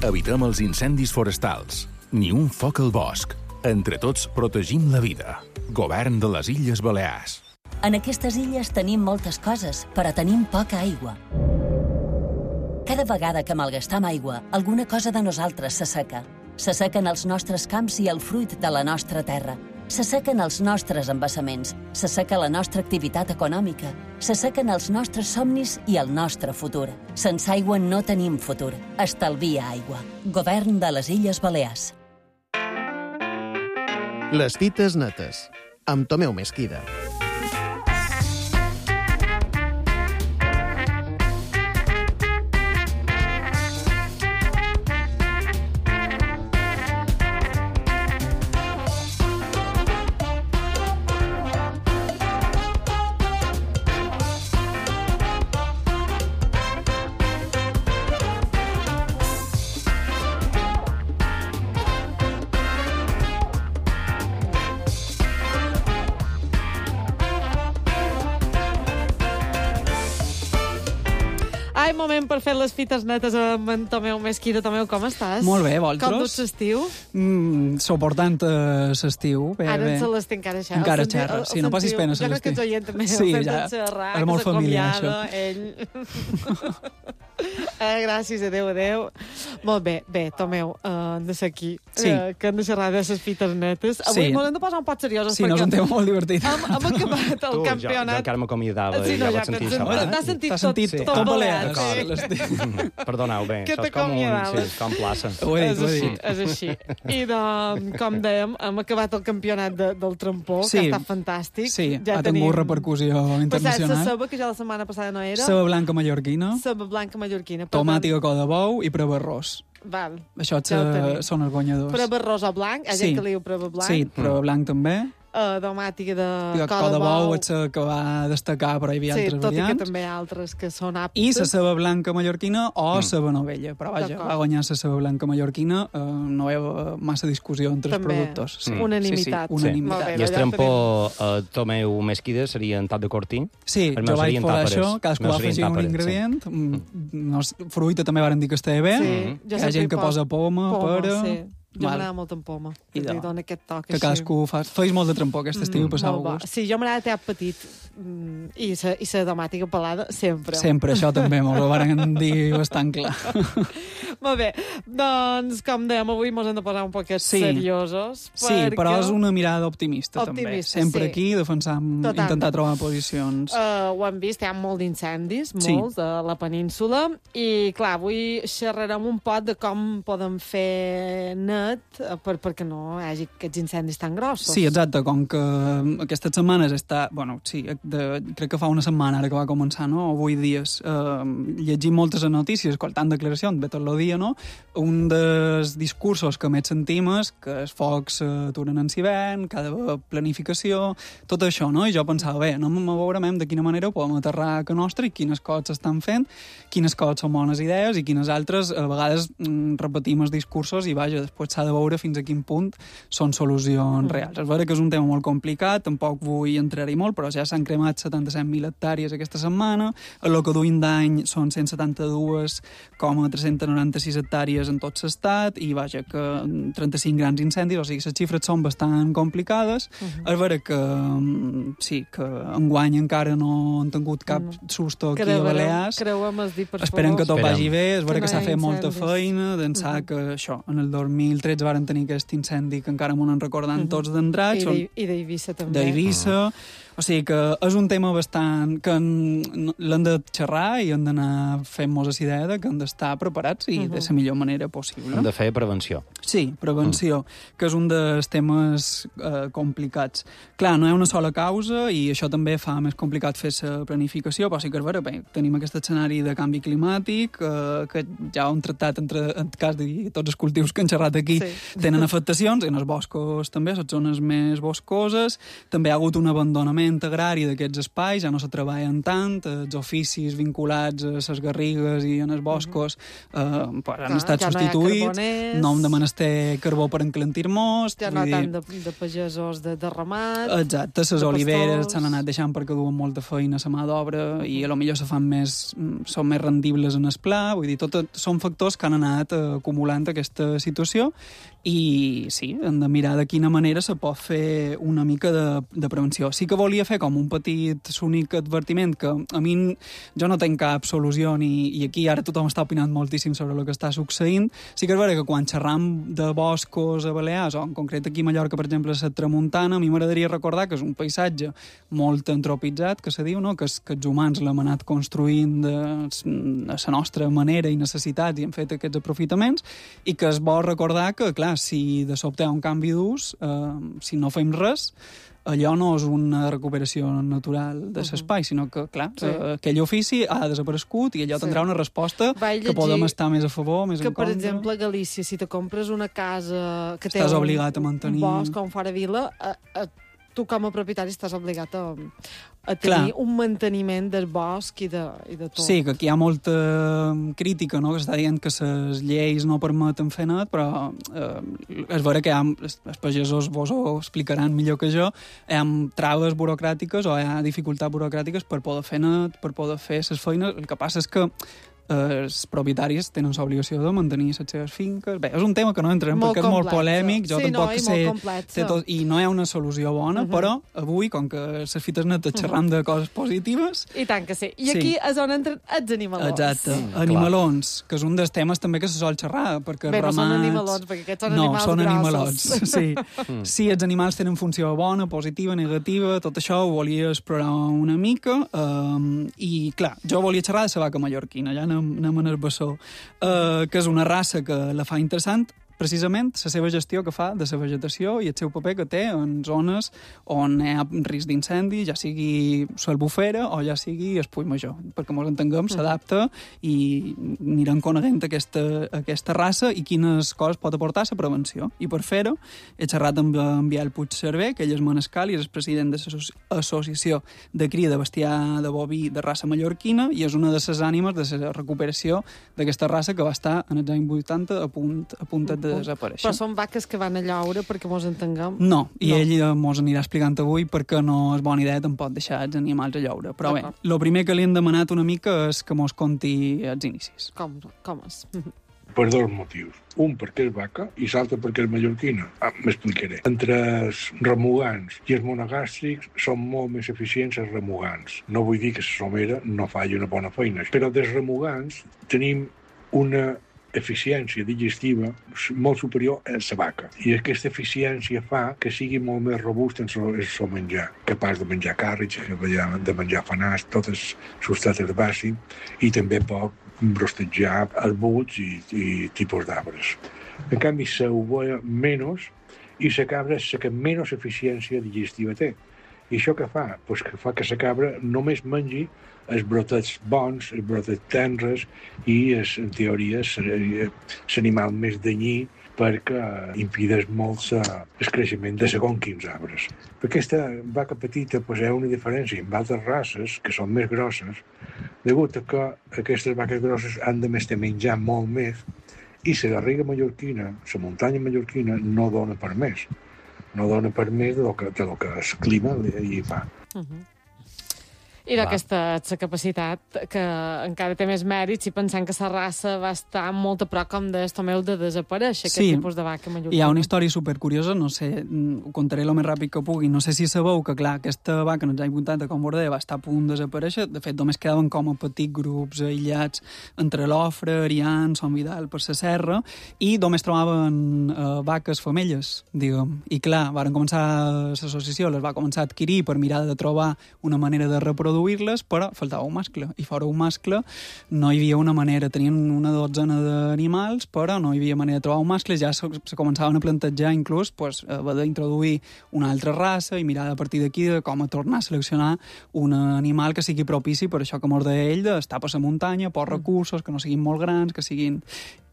Evitem els incendis forestals, ni un foc al bosc. Entre tots protegim la vida. Govern de les Illes Balears. En aquestes illes tenim moltes coses, però tenim poca aigua. Cada vegada que malgastam aigua, alguna cosa de nosaltres s'asseca. S'assequen els nostres camps i el fruit de la nostra terra. S'assequen els nostres embassaments. S'asseca la nostra activitat econòmica. S'assequen els nostres somnis i el nostre futur. Sense aigua no tenim futur. Estalvia aigua. Govern de les Illes Balears. Les fites netes, amb Tomeu Mesquida. Moment per fer les fites netes amb en Tomeu Mesquida. Tomeu, com estàs? Molt bé, vosaltres? Com duts l'estiu? Suportant l'estiu. Ara en Celestí encara xerra. Encara xerra, sí, no passis pena, Celestí. Jo crec que ets oient també. Sí, ja, és molt familiar, això. Ell... Gràcies, adeu. Molt bé, Tomeu, hem de ser aquí, que hem de xerrar de les fites netes. Avui ens hem de posar un pot seriosos. Sí, no, és un tema molt divertit. Hem acabat el campionat. Jo encara m'acomiadava i ja vaig sentir això. T'has sentit tot balear. Perdoneu, bé, això és com plaça. És així. I com dèiem, hem acabat el campionat del trampó, que ha estat fantàstic. Sí, ha tingut repercussió internacional. La ceba, que ja la setmana passada no era. Ceba blanca mallorquina. Tomàtica, col de bou i preva arròs. Val. Això són els guanyadors. Preva arròs o blanc, hi ha gent que li diu preva blanc. Sí, preva blanc també. Domàtica de col de bou és la que va destacar, però hi havia altres variants. Sí, tot i que també hi ha altres que són aptes. I la ceba blanca mallorquina o ceba novella. Però vaja, va guanyar la ceba blanca mallorquina, no hi ha massa discussió entre els productors. Unanimitat. I el trampó Tomeu Mesquida seria en tap de cortí? Sí, jo vaig fer això, cadascú va afegir un ingredient. Fruita també varen dir que estava bé. Hi ha gent que posa poma, pera... Jo m'agrada molt en poma, que li dona aquest toc que cadascú fa. Feis molt de trampó aquest estiu i passau gust. Sí, jo m'agrada teat petit i la domàtica pelada sempre. Sempre, això també, m'ho varen dir bastant clar. Molt bé, doncs com dèiem, avui ens hem de posar un poquet seriosos. Sí, però és una mirada optimista també. Sempre aquí defensam, intentar trobar posicions. Ho hem vist, hi ha molt d'incendis, molts, a la península, i clar, avui xerrarem un pot de com podem fer perquè no hi hagi aquests incendis tan grossos. Sí, exacte, com que aquestes setmanes està... Bueno, sí, crec que fa una setmana ara que va començar, no? O 8 dies. Llegim moltes notícies, escoltant declaracions, ve tot el dia, no? Un dels discursos que més sentim és que els focs s'aturen en s'hivern, cada planificació, tot això, no? I jo pensava, bé, no veurem de quina manera ho podem aterrar a casa nostra i quines coses s'estan fent, quines coses són bones idees i quines altres, a vegades repetim els discursos i, vaja, després s'ha de veure fins a quin punt són solucions reals. És vera que és un tema molt complicat, tampoc vull entrar-hi molt, però ja s'han cremat 77.000 hectàrees aquesta setmana, el que duim d'any són 172,396 hectàrees en tot l'estat, i vaja, que 35 grans incendis, o sigui, les xifres són bastant complicades. És vera que sí, que enguany encara no han tingut cap susto aquí a Balears. Esperem que tot vagi bé, és vera que s'ha fet molta feina, d'ençà que això, en el 2013 varen tenir aquest incendi que encara m'ho han recordant tots d'Andratx. I d'Eivissa també. D'Eivissa. O sigui que és un tema bastant que l'hem de xerrar i hem d'anar fent moltes idees que hem d'estar preparats i de la millor manera possible. Hem de fer prevenció. Sí, prevenció, que és un dels temes complicats. Clar, no hi ha una sola causa i això també fa més complicat fer la planificació, però sí que és vera, bé, tenim aquest escenari de canvi climàtic que ja ho hem tractat en cas de tots els cultius que han xerrat aquí tenen afectacions, en els boscos també, les zones més boscoses, també hi ha hagut un abandonament agrari d'aquests espais, ja no se treballen tant, els oficis vinculats a les garrigues i en els boscos han estat substituïts, no hem de menester carbó per enclentir-nos. Ja no tant de pagesos de ramat. Exacte, les oliveres s'han anat deixant perquè duen molta feina a la mà d'obra i a lo millor són més rendibles en el pla, vull dir, són factors que han anat acumulant aquesta situació i sí, hem de mirar de quina manera se pot fer una mica de prevenció. Sí que volia fer com un petit únic advertiment que a mi jo no tenc cap solució i aquí ara tothom està opinant moltíssim sobre el que està succeint. Sí que és vera que quan xerram de boscos a Balears, o en concret aquí a Mallorca, per exemple, a la Tramuntana, a mi m'agradaria recordar que és un paisatge molt antropitzat, que se diu, no? que els humans l'hem anat construint a la nostra manera i necessitats i hem fet aquests aprofitaments, i que es vol recordar que, clar, si de sobte hi ha un canvi d'ús, si no fem res, allò no és una recuperació natural de l'espai, sinó que, clar, aquell ofici ha desaparegut i allò tindrà una resposta que podem estar més a favor, més en contra. Que, per exemple, a Galícia, si te compres una casa que té estàs obligat a mantenir un bosc com fora vila, tu com a propietari estàs obligat a tenir un manteniment del bosc i de tot. Sí, que aquí hi ha molta crítica, no?, que s'està dient que les lleis no permeten fer net, però és vera que els pagesos vos ho explicaran millor que jo, hi ha traves burocràtiques o hi ha dificultats burocràtiques per poder fer net, per poder fer les feines. El que passa és que els propietaris tenen l'obligació de mantenir les seves finques. Bé, és un tema que no entrem perquè és molt polèmic, jo tampoc sé... I no hi ha una solució bona, però avui, com que les fites netes xerram de coses positives... I tant que sí. I aquí és on entren els animalons. Exacte. Animalons, que és un dels temes també que se sol xerrar, perquè bé, ramats... no són animalons, perquè aquests són animals són grossos. animalons, sí. Sí, els animals tenen funció bona, positiva, negativa, tot això ho volia explorar una mica, i clar, jo volia xerrar de la vaca mallorquina, ja anem en el bessó, que és una raça que la fa interessant, precisament la seva gestió que fa de la vegetació i el seu paper que té en zones on hi ha risc d'incendi, ja sigui l'Albufera o ja sigui el Puig Major, perquè ens entenguem, s'adapta i anirem coneixent aquesta raça i quines coses pot aportar la prevenció. I per fer-ho he xerrat amb en Biel Puigcerver, que ell és manescal i és el president de l'Associació de Cria de Bestiar de Boví de raça mallorquina i és una de les ànimes de la recuperació d'aquesta raça que va estar en els anys 80 a punt de desaparèixer. Però són vaques que van a lloure perquè mos entenguem? No, i ell mos anirà explicant avui perquè no és bona idea tampoc deixar els animals a lloure. Però bé, el primer que li hem demanat una mica és que mos conti els inicis. Com és? Per dos motius. Un perquè és vaca i l'altre perquè és mallorquina. M'explicaré. Entre els remugants i els monogàstrics són molt més eficients els remugants. No vull dir que la somera no faci una bona feina, però dels remugants tenim una eficiència digestiva molt superior a la vaca. I aquesta eficiència fa que sigui molt més robust en el seu menjar, capaç de menjar carris, de menjar fanars, tot el substrat herbàci, i també pot brostejar arbusts i tipus d'arbres. En canvi, s'ovella menys i la cabra és la que menys eficiència digestiva té. I això què fa? Pues que fa que la cabra només mengi els brotets bons, els brotets tendres i, en teoria, l'animal més danyí perquè impedeix molt el creixement de segons quins arbres. Aquesta vaca petita hi ha una diferència amb altres races, que són més grosses, degut a que aquestes vaques grosses han de menjar molt més i la garriga mallorquina, la muntanya mallorquina, no dona per més. No dona per més del que el clima hi fa. I d'aquesta capacitat que encara té més mèrits i pensant que la raça va estar molt a prop, com deies Tomeu, de desaparèixer, aquest tipus de vaca mallorquina. Hi ha una història supercuriosa, no sé, ho contaré el més ràpid que pugui, no sé si sabeu que, clar, aquesta vaca en els anys 80, com vos deia, va estar a punt de desaparèixer, de fet, només quedaven com a petits grups aïllats entre l'Ofre, Arián, Son Vidal, per la serra, i només trobaven vaques femelles, diguem. I clar, varen començar l'associació, les va començar a adquirir per mirar de trobar una manera de reproduir-les, però faltava un mascle, i fora un mascle no hi havia una manera, tenien una dotzena d'animals, però no hi havia manera de trobar un mascle, ja se començaven a plantejar inclús haver d'introduir una altra raça i mirar a partir d'aquí de com a tornar a seleccionar un animal que sigui propici per això que mos deia ell, d'estar per la muntanya, pocs recursos, que no siguin molt grans, que siguin...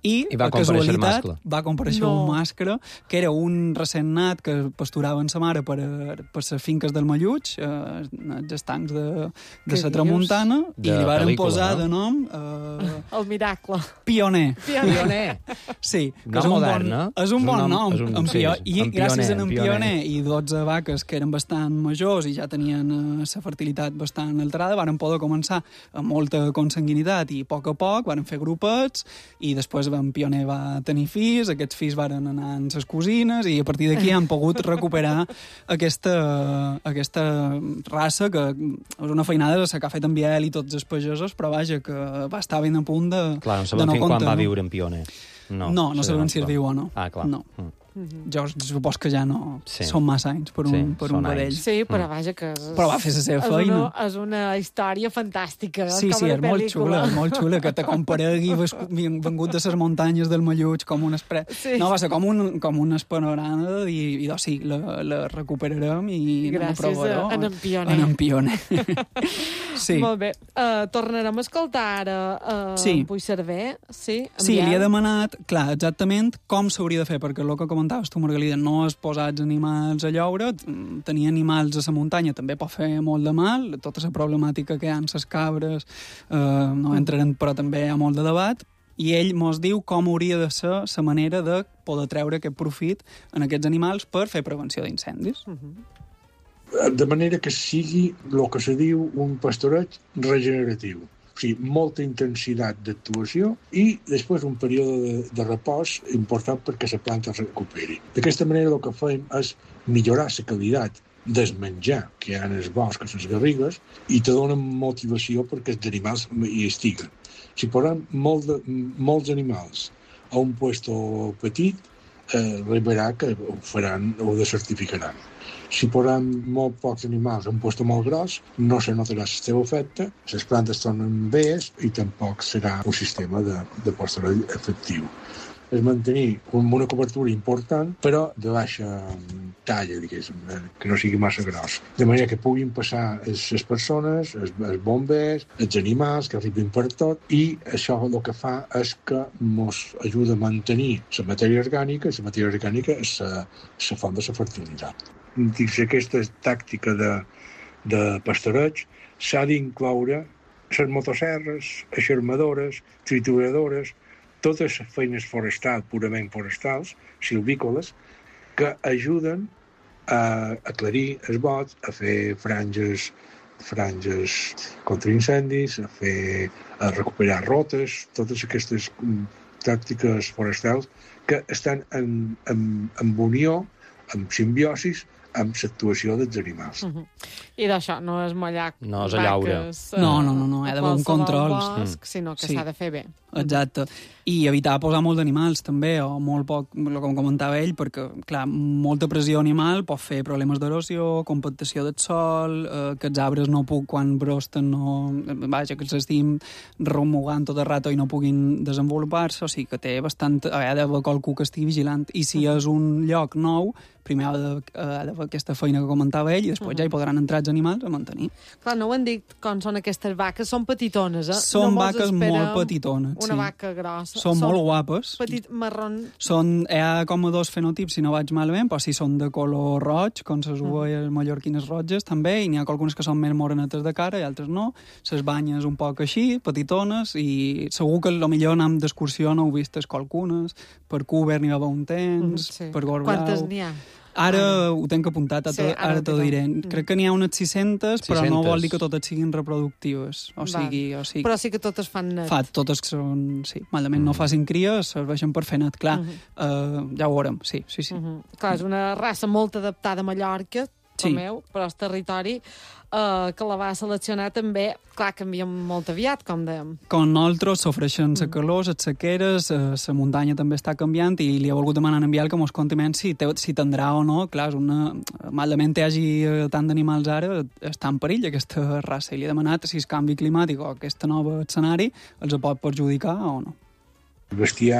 I va comparèixer el mascle. Va comparèixer un mascle, que era un recent nat que pasturava en sa mare per les finques del Malluig, els estancs de la Tramuntana, i li varen posar de nom... El miracle. Pioner. Sí. Nom modern, no? És un bon nom. I gràcies a en Pioner i 12 vaques que eren bastant majors i ja tenien la fertilitat bastant alterada, varen poder començar amb molta consanguinitat i a poc varen fer grupets i després en Pioner va tenir fills, aquests fills varen anar amb les cosines i a partir d'aquí han pogut recuperar aquesta raça que és una feinada que ha fet en Biel i tots els pagesos, però vaja, que va estar ben a punt de no comptar. Clar, no sabem quan va viure en Pioner. No sabem si es viu o no. Ah, clar. No. Jo supos que ja no són massa anys per un vedell. Sí, però vaja que... Però va fer la seva feina. És una història fantàstica. Sí, és molt xula, que te comparegui vengut de les muntanyes del Malluig com un No, va ser com un panorama i sí, la recuperarem i anem a provar-ho. Gràcies a en Pioner. Sí. Molt bé. Tornarem a escoltar ara Puigcerver. Sí, li he demanat, clar, exactament com s'hauria de fer, perquè el que comentaves tu, Margalida, no és posar els animals a lloure, tenir animals a la muntanya també pot fer molt de mal, tota la problemàtica que hi ha amb les cabres, no entrarem, però també hi ha molt de debat, i ell mos diu com hauria de ser la manera de poder treure aquest profit en aquests animals per fer prevenció d'incendis. De manera que sigui el que se diu un pastoreig regeneratiu. O sigui, molta intensitat d'actuació i després un període de repòs important perquè la planta es recuperi. D'aquesta manera el que fem és millorar la qualitat del menjar que hi ha en el bosc, a les garrigues, i te donen motivació perquè els animals hi estiguen. Si posem molts animals a un puesto petit, arribarà que ho faran, ho desertificaran. Si posem molt pocs animals a un puesto molt gros, no se notarà el seu efecte, les plantes tornen bé i tampoc serà un sistema de pastoratge efectiu. És mantenir una cobertura important, però de baixa talla, diguéssim, que no sigui massa gros. De manera que puguin passar les persones, els bombers, els animals, que arribin per tot, i això el que fa és que ens ajuda a mantenir la matèria orgànica, i la matèria orgànica és la font de la fertilitat. Dins aquesta tàctica de pastoreig s'ha d'incloure les motosserres, eixarmadores, trituradores, totes les feines forestals, purament forestals, silvícoles, que ajuden a aclarir els bots, a fer franges contra incendis, a recuperar rotes, totes aquestes tàctiques forestals que estan en unió, en simbiosis, amb l'actuació dels animals. I d'això no és mallar no és allaure. No, hi ha d'haver un control. Bosc, sinó que s'ha de fer bé. Exacte. I evitar posar molt d'animals, també, o molt poc, com comentava ell, perquè, clar, molta pressió animal pot fer problemes d'erosió, compactació del sol, que els arbres quan brosten, que els estim remugant tot el rato i no puguin desenvolupar-se, o sigui que té bastant... Ha d'haver qualcú que estigui vigilant. I si és un lloc nou, primer ha de fer aquesta feina que comentava ell i després ja hi podran entrar els animals a mantenir. Clar, no ho han dit com són aquestes vaques, són petitones, eh? Són vaques molt petitones, una vaca grossa. Són molt guapes. Petit marrón. Hi ha com dos fenotips, si no vaig malament, però sí són de color roig, com les ovelles mallorquines roges, també, i n'hi ha algunes que són més morenetes de cara i altres no. Les banyes un poc així, petitones, i segur que millor anar d'excursió no heu vistes qualcunes. Per Cúber n'hi va haver un temps, per Gorblau. Quantes n'hi ha? Ara ho tenc apuntat, ara t'ho diré. Crec que n'hi ha unes 600, però no vol dir que totes siguin reproductives. O sigui... Però sí que totes fan net. Totes que són, sí, malament no facin cries, serveixen per fer net, clar. Ja ho veurem, sí. Clar, és una raça molt adaptada a Mallorca, però el territori que la va seleccionar també, clar, canvia molt aviat, com dèiem. Com nosaltres sofreixen la calor, les sequeres, la muntanya també està canviant i li ha volgut demanar en Biel que mos conti menys si tindrà o no. Clar, malament hi hagi tant d'animals ara, està en perill aquesta raça i li ha demanat si el canvi climàtic o aquest nou escenari els pot perjudicar o no. El bestiar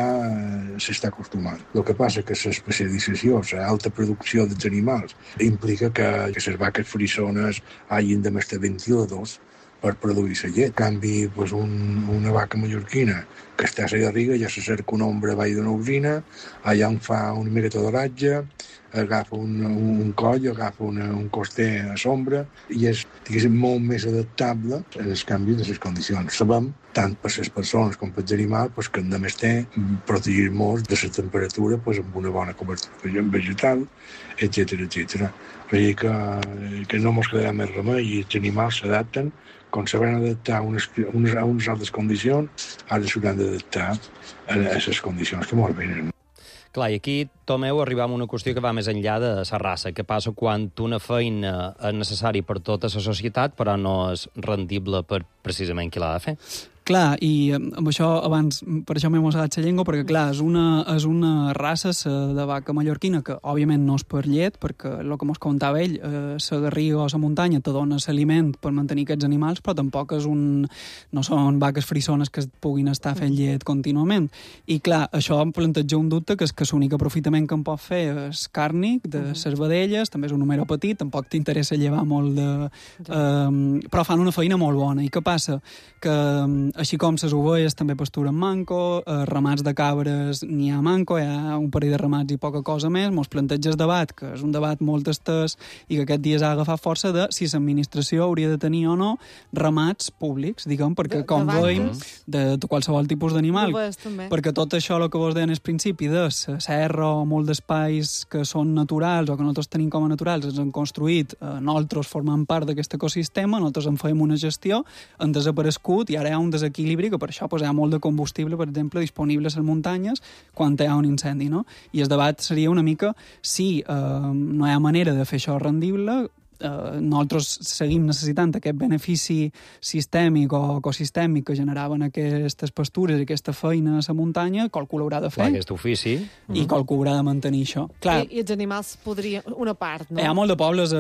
s'està acostumant. El que passa que l'especialització, l'alta producció dels animals, implica que les vaques frisones hagin de mestar ventiladors per produir la llet. En canvi, una vaca mallorquina que està a la garriga ja se cerca una ombra avall d'una usina, allà on fa una miqueta d'oratge, agafa un coll, agafa un coster a sombra i és, diguéssim, molt més adaptable als canvis de les condicions. Sabem, tant per les persones com per els animals, que hem de més protegir-nos de la temperatura amb una bona cobertura vegetal, etc. O sigui que no ens quedarà més remei i els animals s'adapten. Quan s'hauran d'adaptar a unes altres condicions, ara s'hauran d'adaptar a les condicions que ens venen. Clar, i aquí, Tomeu, arribam a una qüestió que va més enllà de la raça. Què passa quan una feina és necessària per tota la societat, però no és rendible per precisament qui l'ha de fer? Clar, i amb això abans, per això m'he mossegat la llengua, perquè clar, és una raça de vaca mallorquina que òbviament no és per llet, perquè el que mos comentava ell, la garriga o la muntanya te dona l'aliment per mantenir aquests animals, però tampoc no són vaques frisones que puguin estar fent llet contínuament. I clar, això em planteja un dubte, que és que l'únic aprofitament que em pot fer és càrnic de les vedelles, també és un número petit, tampoc t'interessa llevar molt de... però fan una feina molt bona. I què passa? Que Així com les ovelles també pasturen manco, ramats de cabres n'hi ha manco, hi ha un parell de ramats i poca cosa més. Mos planteja el debat, que és un debat molt estès i que aquest dia s'ha agafat força de si l'administració hauria de tenir o no ramats públics, diguem, perquè com veiem, de qualsevol tipus d'animal. Perquè tot això, el que vos deien al principi, de la serra o molt d'espais que són naturals o que nosaltres tenim com a naturals, ens han construït, nosaltres formant part d'aquest ecosistema, nosaltres en fèiem una gestió, han desaparegut i ara hi ha un desequilibri que per això hi ha molt de combustible, per exemple, disponible a les muntanyes quan hi ha un incendi, no? I el debat seria una mica si no hi ha manera de fer això rendible. Nosaltres seguim necessitant aquest benefici sistèmic o ecosistèmic que generaven aquestes pastures i aquesta feina a la muntanya, qualcú l'haurà de fer. Aquest ofici. I qualcú haurà de mantenir això. Clar, I els animals podrien... Una part, no? Hi ha molt de pobles a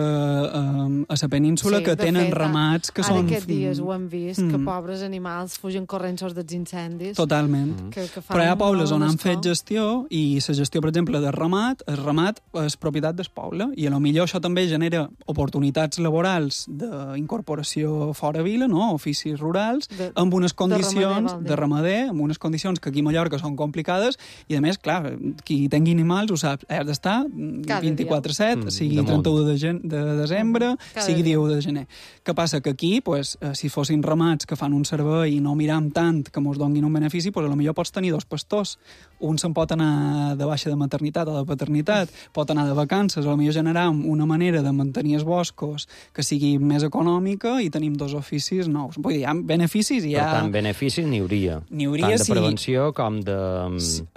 la península que tenen ramats que són... Ara aquests dies ho hem vist, que pobres animals fugen corrents dels incendis. Totalment. Però hi ha pobles on han fet gestió i la gestió, per exemple, del ramat, el ramat és propietat del poble i a lo millor això també genera oportunitats laborals d'incorporació fora vila, no? Oficis rurals, amb unes condicions de ramader, amb unes condicions que aquí a Mallorca són complicades i, a més, clar, qui tingui animals ho sap, has d'estar 24/7, sigui 31 de desembre, sigui 10 de gener. Què passa? Que aquí, pues, si fossin ramats que fan un servei i no miram tant que mos donguin un benefici, pues, potser pots tenir dos pastors. Un se'n pot anar de baixa de maternitat o de paternitat, pot anar de vacances, potser generar una manera de mantenir els boscos que sigui més econòmica i tenim dos oficis nous. Vull dir, hi ha beneficis i hi ha... Per tant, beneficis n'hi hauria. Tant de prevenció com de...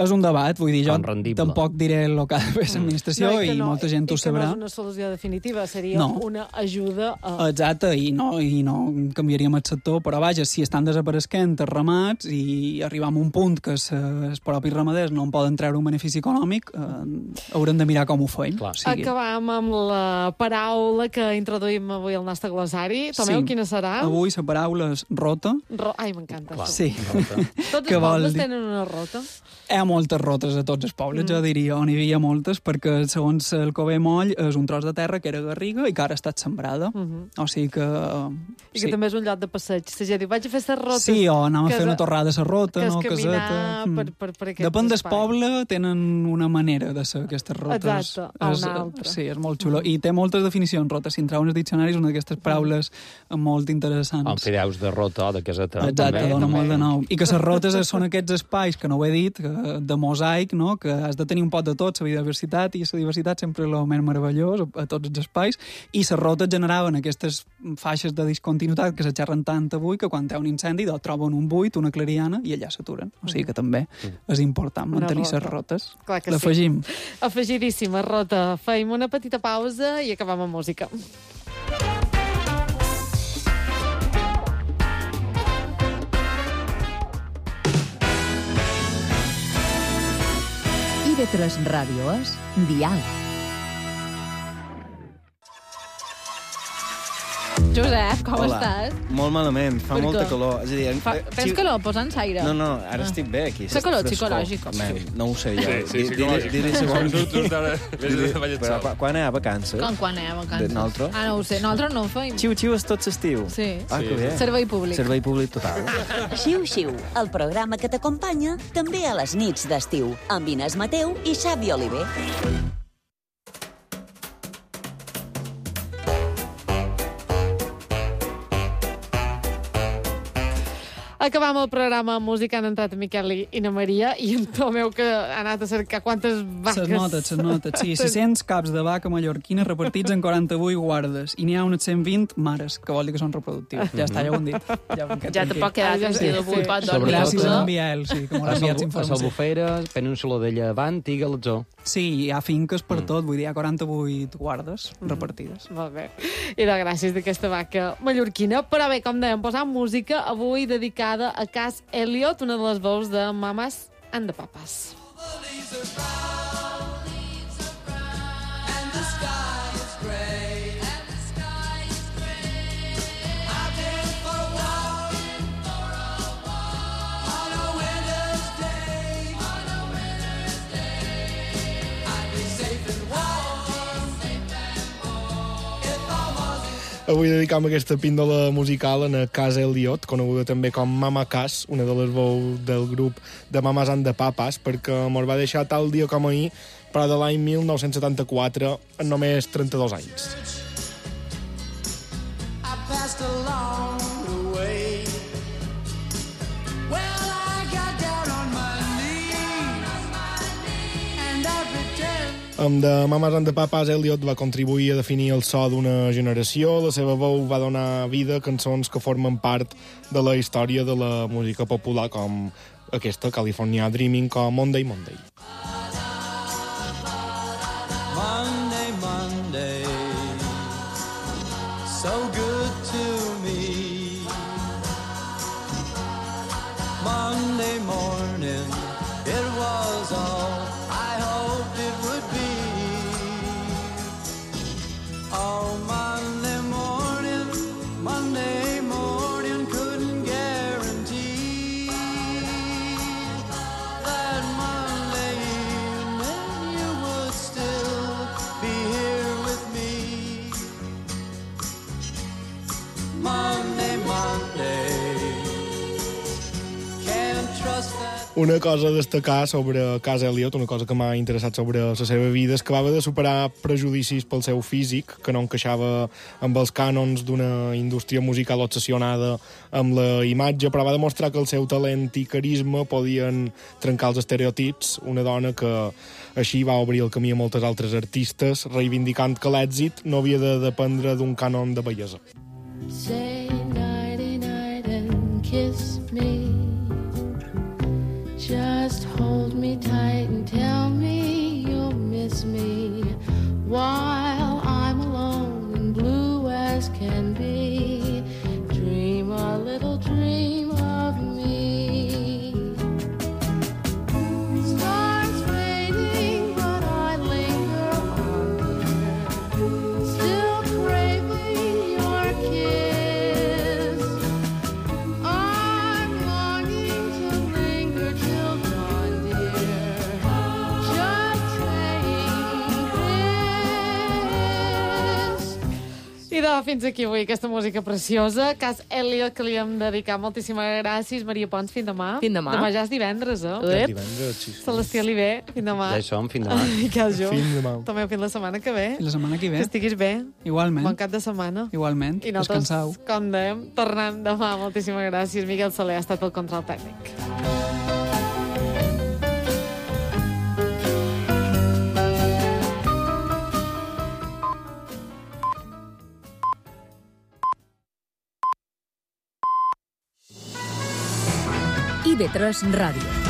És un debat, vull dir, jo tampoc diré el que ha de fer l'administració i molta gent ho sabrà. I que no és una solució definitiva, seria una ajuda a... Exacte, i no canviaríem el sector, però vaja, si estan desapareguent els ramats i arribam a un punt que els propis ramaders no en poden treure un benefici econòmic, haurem de mirar com ho feim. Acabam amb la paraula que introduïm avui al nostre glossari. Tomeu, quina serà? Avui la paraula és rota. Ai, m'encanta. Sí. Tots els pobles tenen una rota? Hi ha moltes rotes a tots els pobles, jo diria, on hi havia moltes, perquè segons el Cové Moll és un tros de terra que era garriga i que ara ha estat sembrada. O sigui que... I que també és un lloc de passeig. La gent diu, vaig a fer les rotes... Sí, o anem a fer una torrada a la rota, no? Que és caminar per aquest depèn del poble, tenen una manera de ser aquestes rotes. Exacte, a una altra. Sí, és molt xulo. I té moltes definicions, rota. Si entreu en els diccionaris, una d'aquestes paraules molt interessants. En fideus de rota o de caseta. Exacte, dona molt de nou. I que les rotes són aquests espais, que no ho he dit, de mosaic, no? Que has de tenir un pot de tot, la biodiversitat, i la diversitat sempre és el més meravellós a tots els espais, i les rotes generaven aquestes faixes de discontinuïtat que se xerren tant avui que quan hi ha un incendi troben un buit, una clariana, i allà s'aturen. O sigui que també és important mantenir les rotes. L'afegim. Afegidíssima rota. Feim una petita pausa i acabam amb música. IB3 Ràdio és Dial. Josep, com estàs? Molt malament, fa molta calor. És a dir, tens calor? Posa'ns aire. No, ara estic bé aquí. Fa calor psicològic. No ho sé jo. Sí, psicològic. Però quan hi ha vacances? Quan hi ha vacances? Nosaltres? No ho sé, nosaltres no ho feim. Xiu-xiu és tot l'estiu. Sí. Que bé. Servei públic. Servei públic total. Xiu-xiu, el programa que t'acompanya també a les nits d'estiu, amb Inés Mateu i Xavi Oliver. Acabam el programa amb música, han entrat en Miquel i na Maria, i en Tomeu, que ha anat a cercar quantes vaques... Ses notes, sí. 600 caps de vaca mallorquina repartits en 48 guardes, i n'hi ha unes 120 mares, que vol dir que són reproductius. Ja està, ja ho hem dit. Ja te pot quedar tranquil, avui pot dormir. Gràcies a en Biel, sí, que m'ho ha enviat informació. A Salbufera, Península de Llevant i Galatzó. Sí, hi ha finques per tot, vull dir, hi ha 48 guardes repartides. Molt bé. I de gràcies d'aquesta vaca mallorquina. Però bé, com dèiem, posant música avui dedicada a Cass Elliot, una de les veus de Mamas and the Papas. Avui dedicam aquesta píndola musical a Cass Elliot, coneguda també com Mama Cass, una de les veus del grup de Mamas and the Papas, perquè mos va deixar tal dia com ahir, però de l'any 1974, en només 32 anys. Amb The Mamas and the Papas, Elliot va contribuir a definir el so d'una generació. La seva veu va donar vida a cançons que formen part de la història de la música popular, com aquesta, California Dreaming, o Monday, Monday. Monday, Monday, so good to me. Monday morning, it was all I hoped it would be. Oh, Monday morning, couldn't guarantee that Monday evening you would still be here with me. Monday, can't trust that. Una cosa a destacar sobre Cass Elliot, una cosa que m'ha interessat sobre la seva vida, és que va haver de superar prejudicis pel seu físic, que no encaixava amb els cànons d'una indústria musical obsessionada amb la imatge, però va demostrar que el seu talent i carisma podien trencar els estereotips, una dona que així va obrir el camí a moltes altres artistes, reivindicant que l'èxit no havia de dependre d'un cànon de bellesa. Say nighty night and kiss me. Just hold me tight and tell me you'll miss me while I'm alone and blue as can be. Dream a little dream of me. Stars fading, but I linger on, dear, still craving your kiss. I'm longing to linger till dawn, dear. Just saying this. I fins aquí avui aquesta música preciosa. Cass Elliot, que li hem dedicat moltíssimes gràcies. Maria Pons, fins demà. Fins demà. Demà ja és divendres, eh? Ja és divendres, sí. Celestí Oliver, fins demà. Ja hi som, fins demà. Miquel Jo. Fins demà. També fins la setmana que ve. Fins la setmana que ve. Que estiguis bé. Igualment. Bon cap de setmana. Igualment. I nosaltres, descansau. com dèiem, tornem demà. Moltíssimes gràcies. Miquel Soler ha estat el control tècnic. IB3 Ràdio.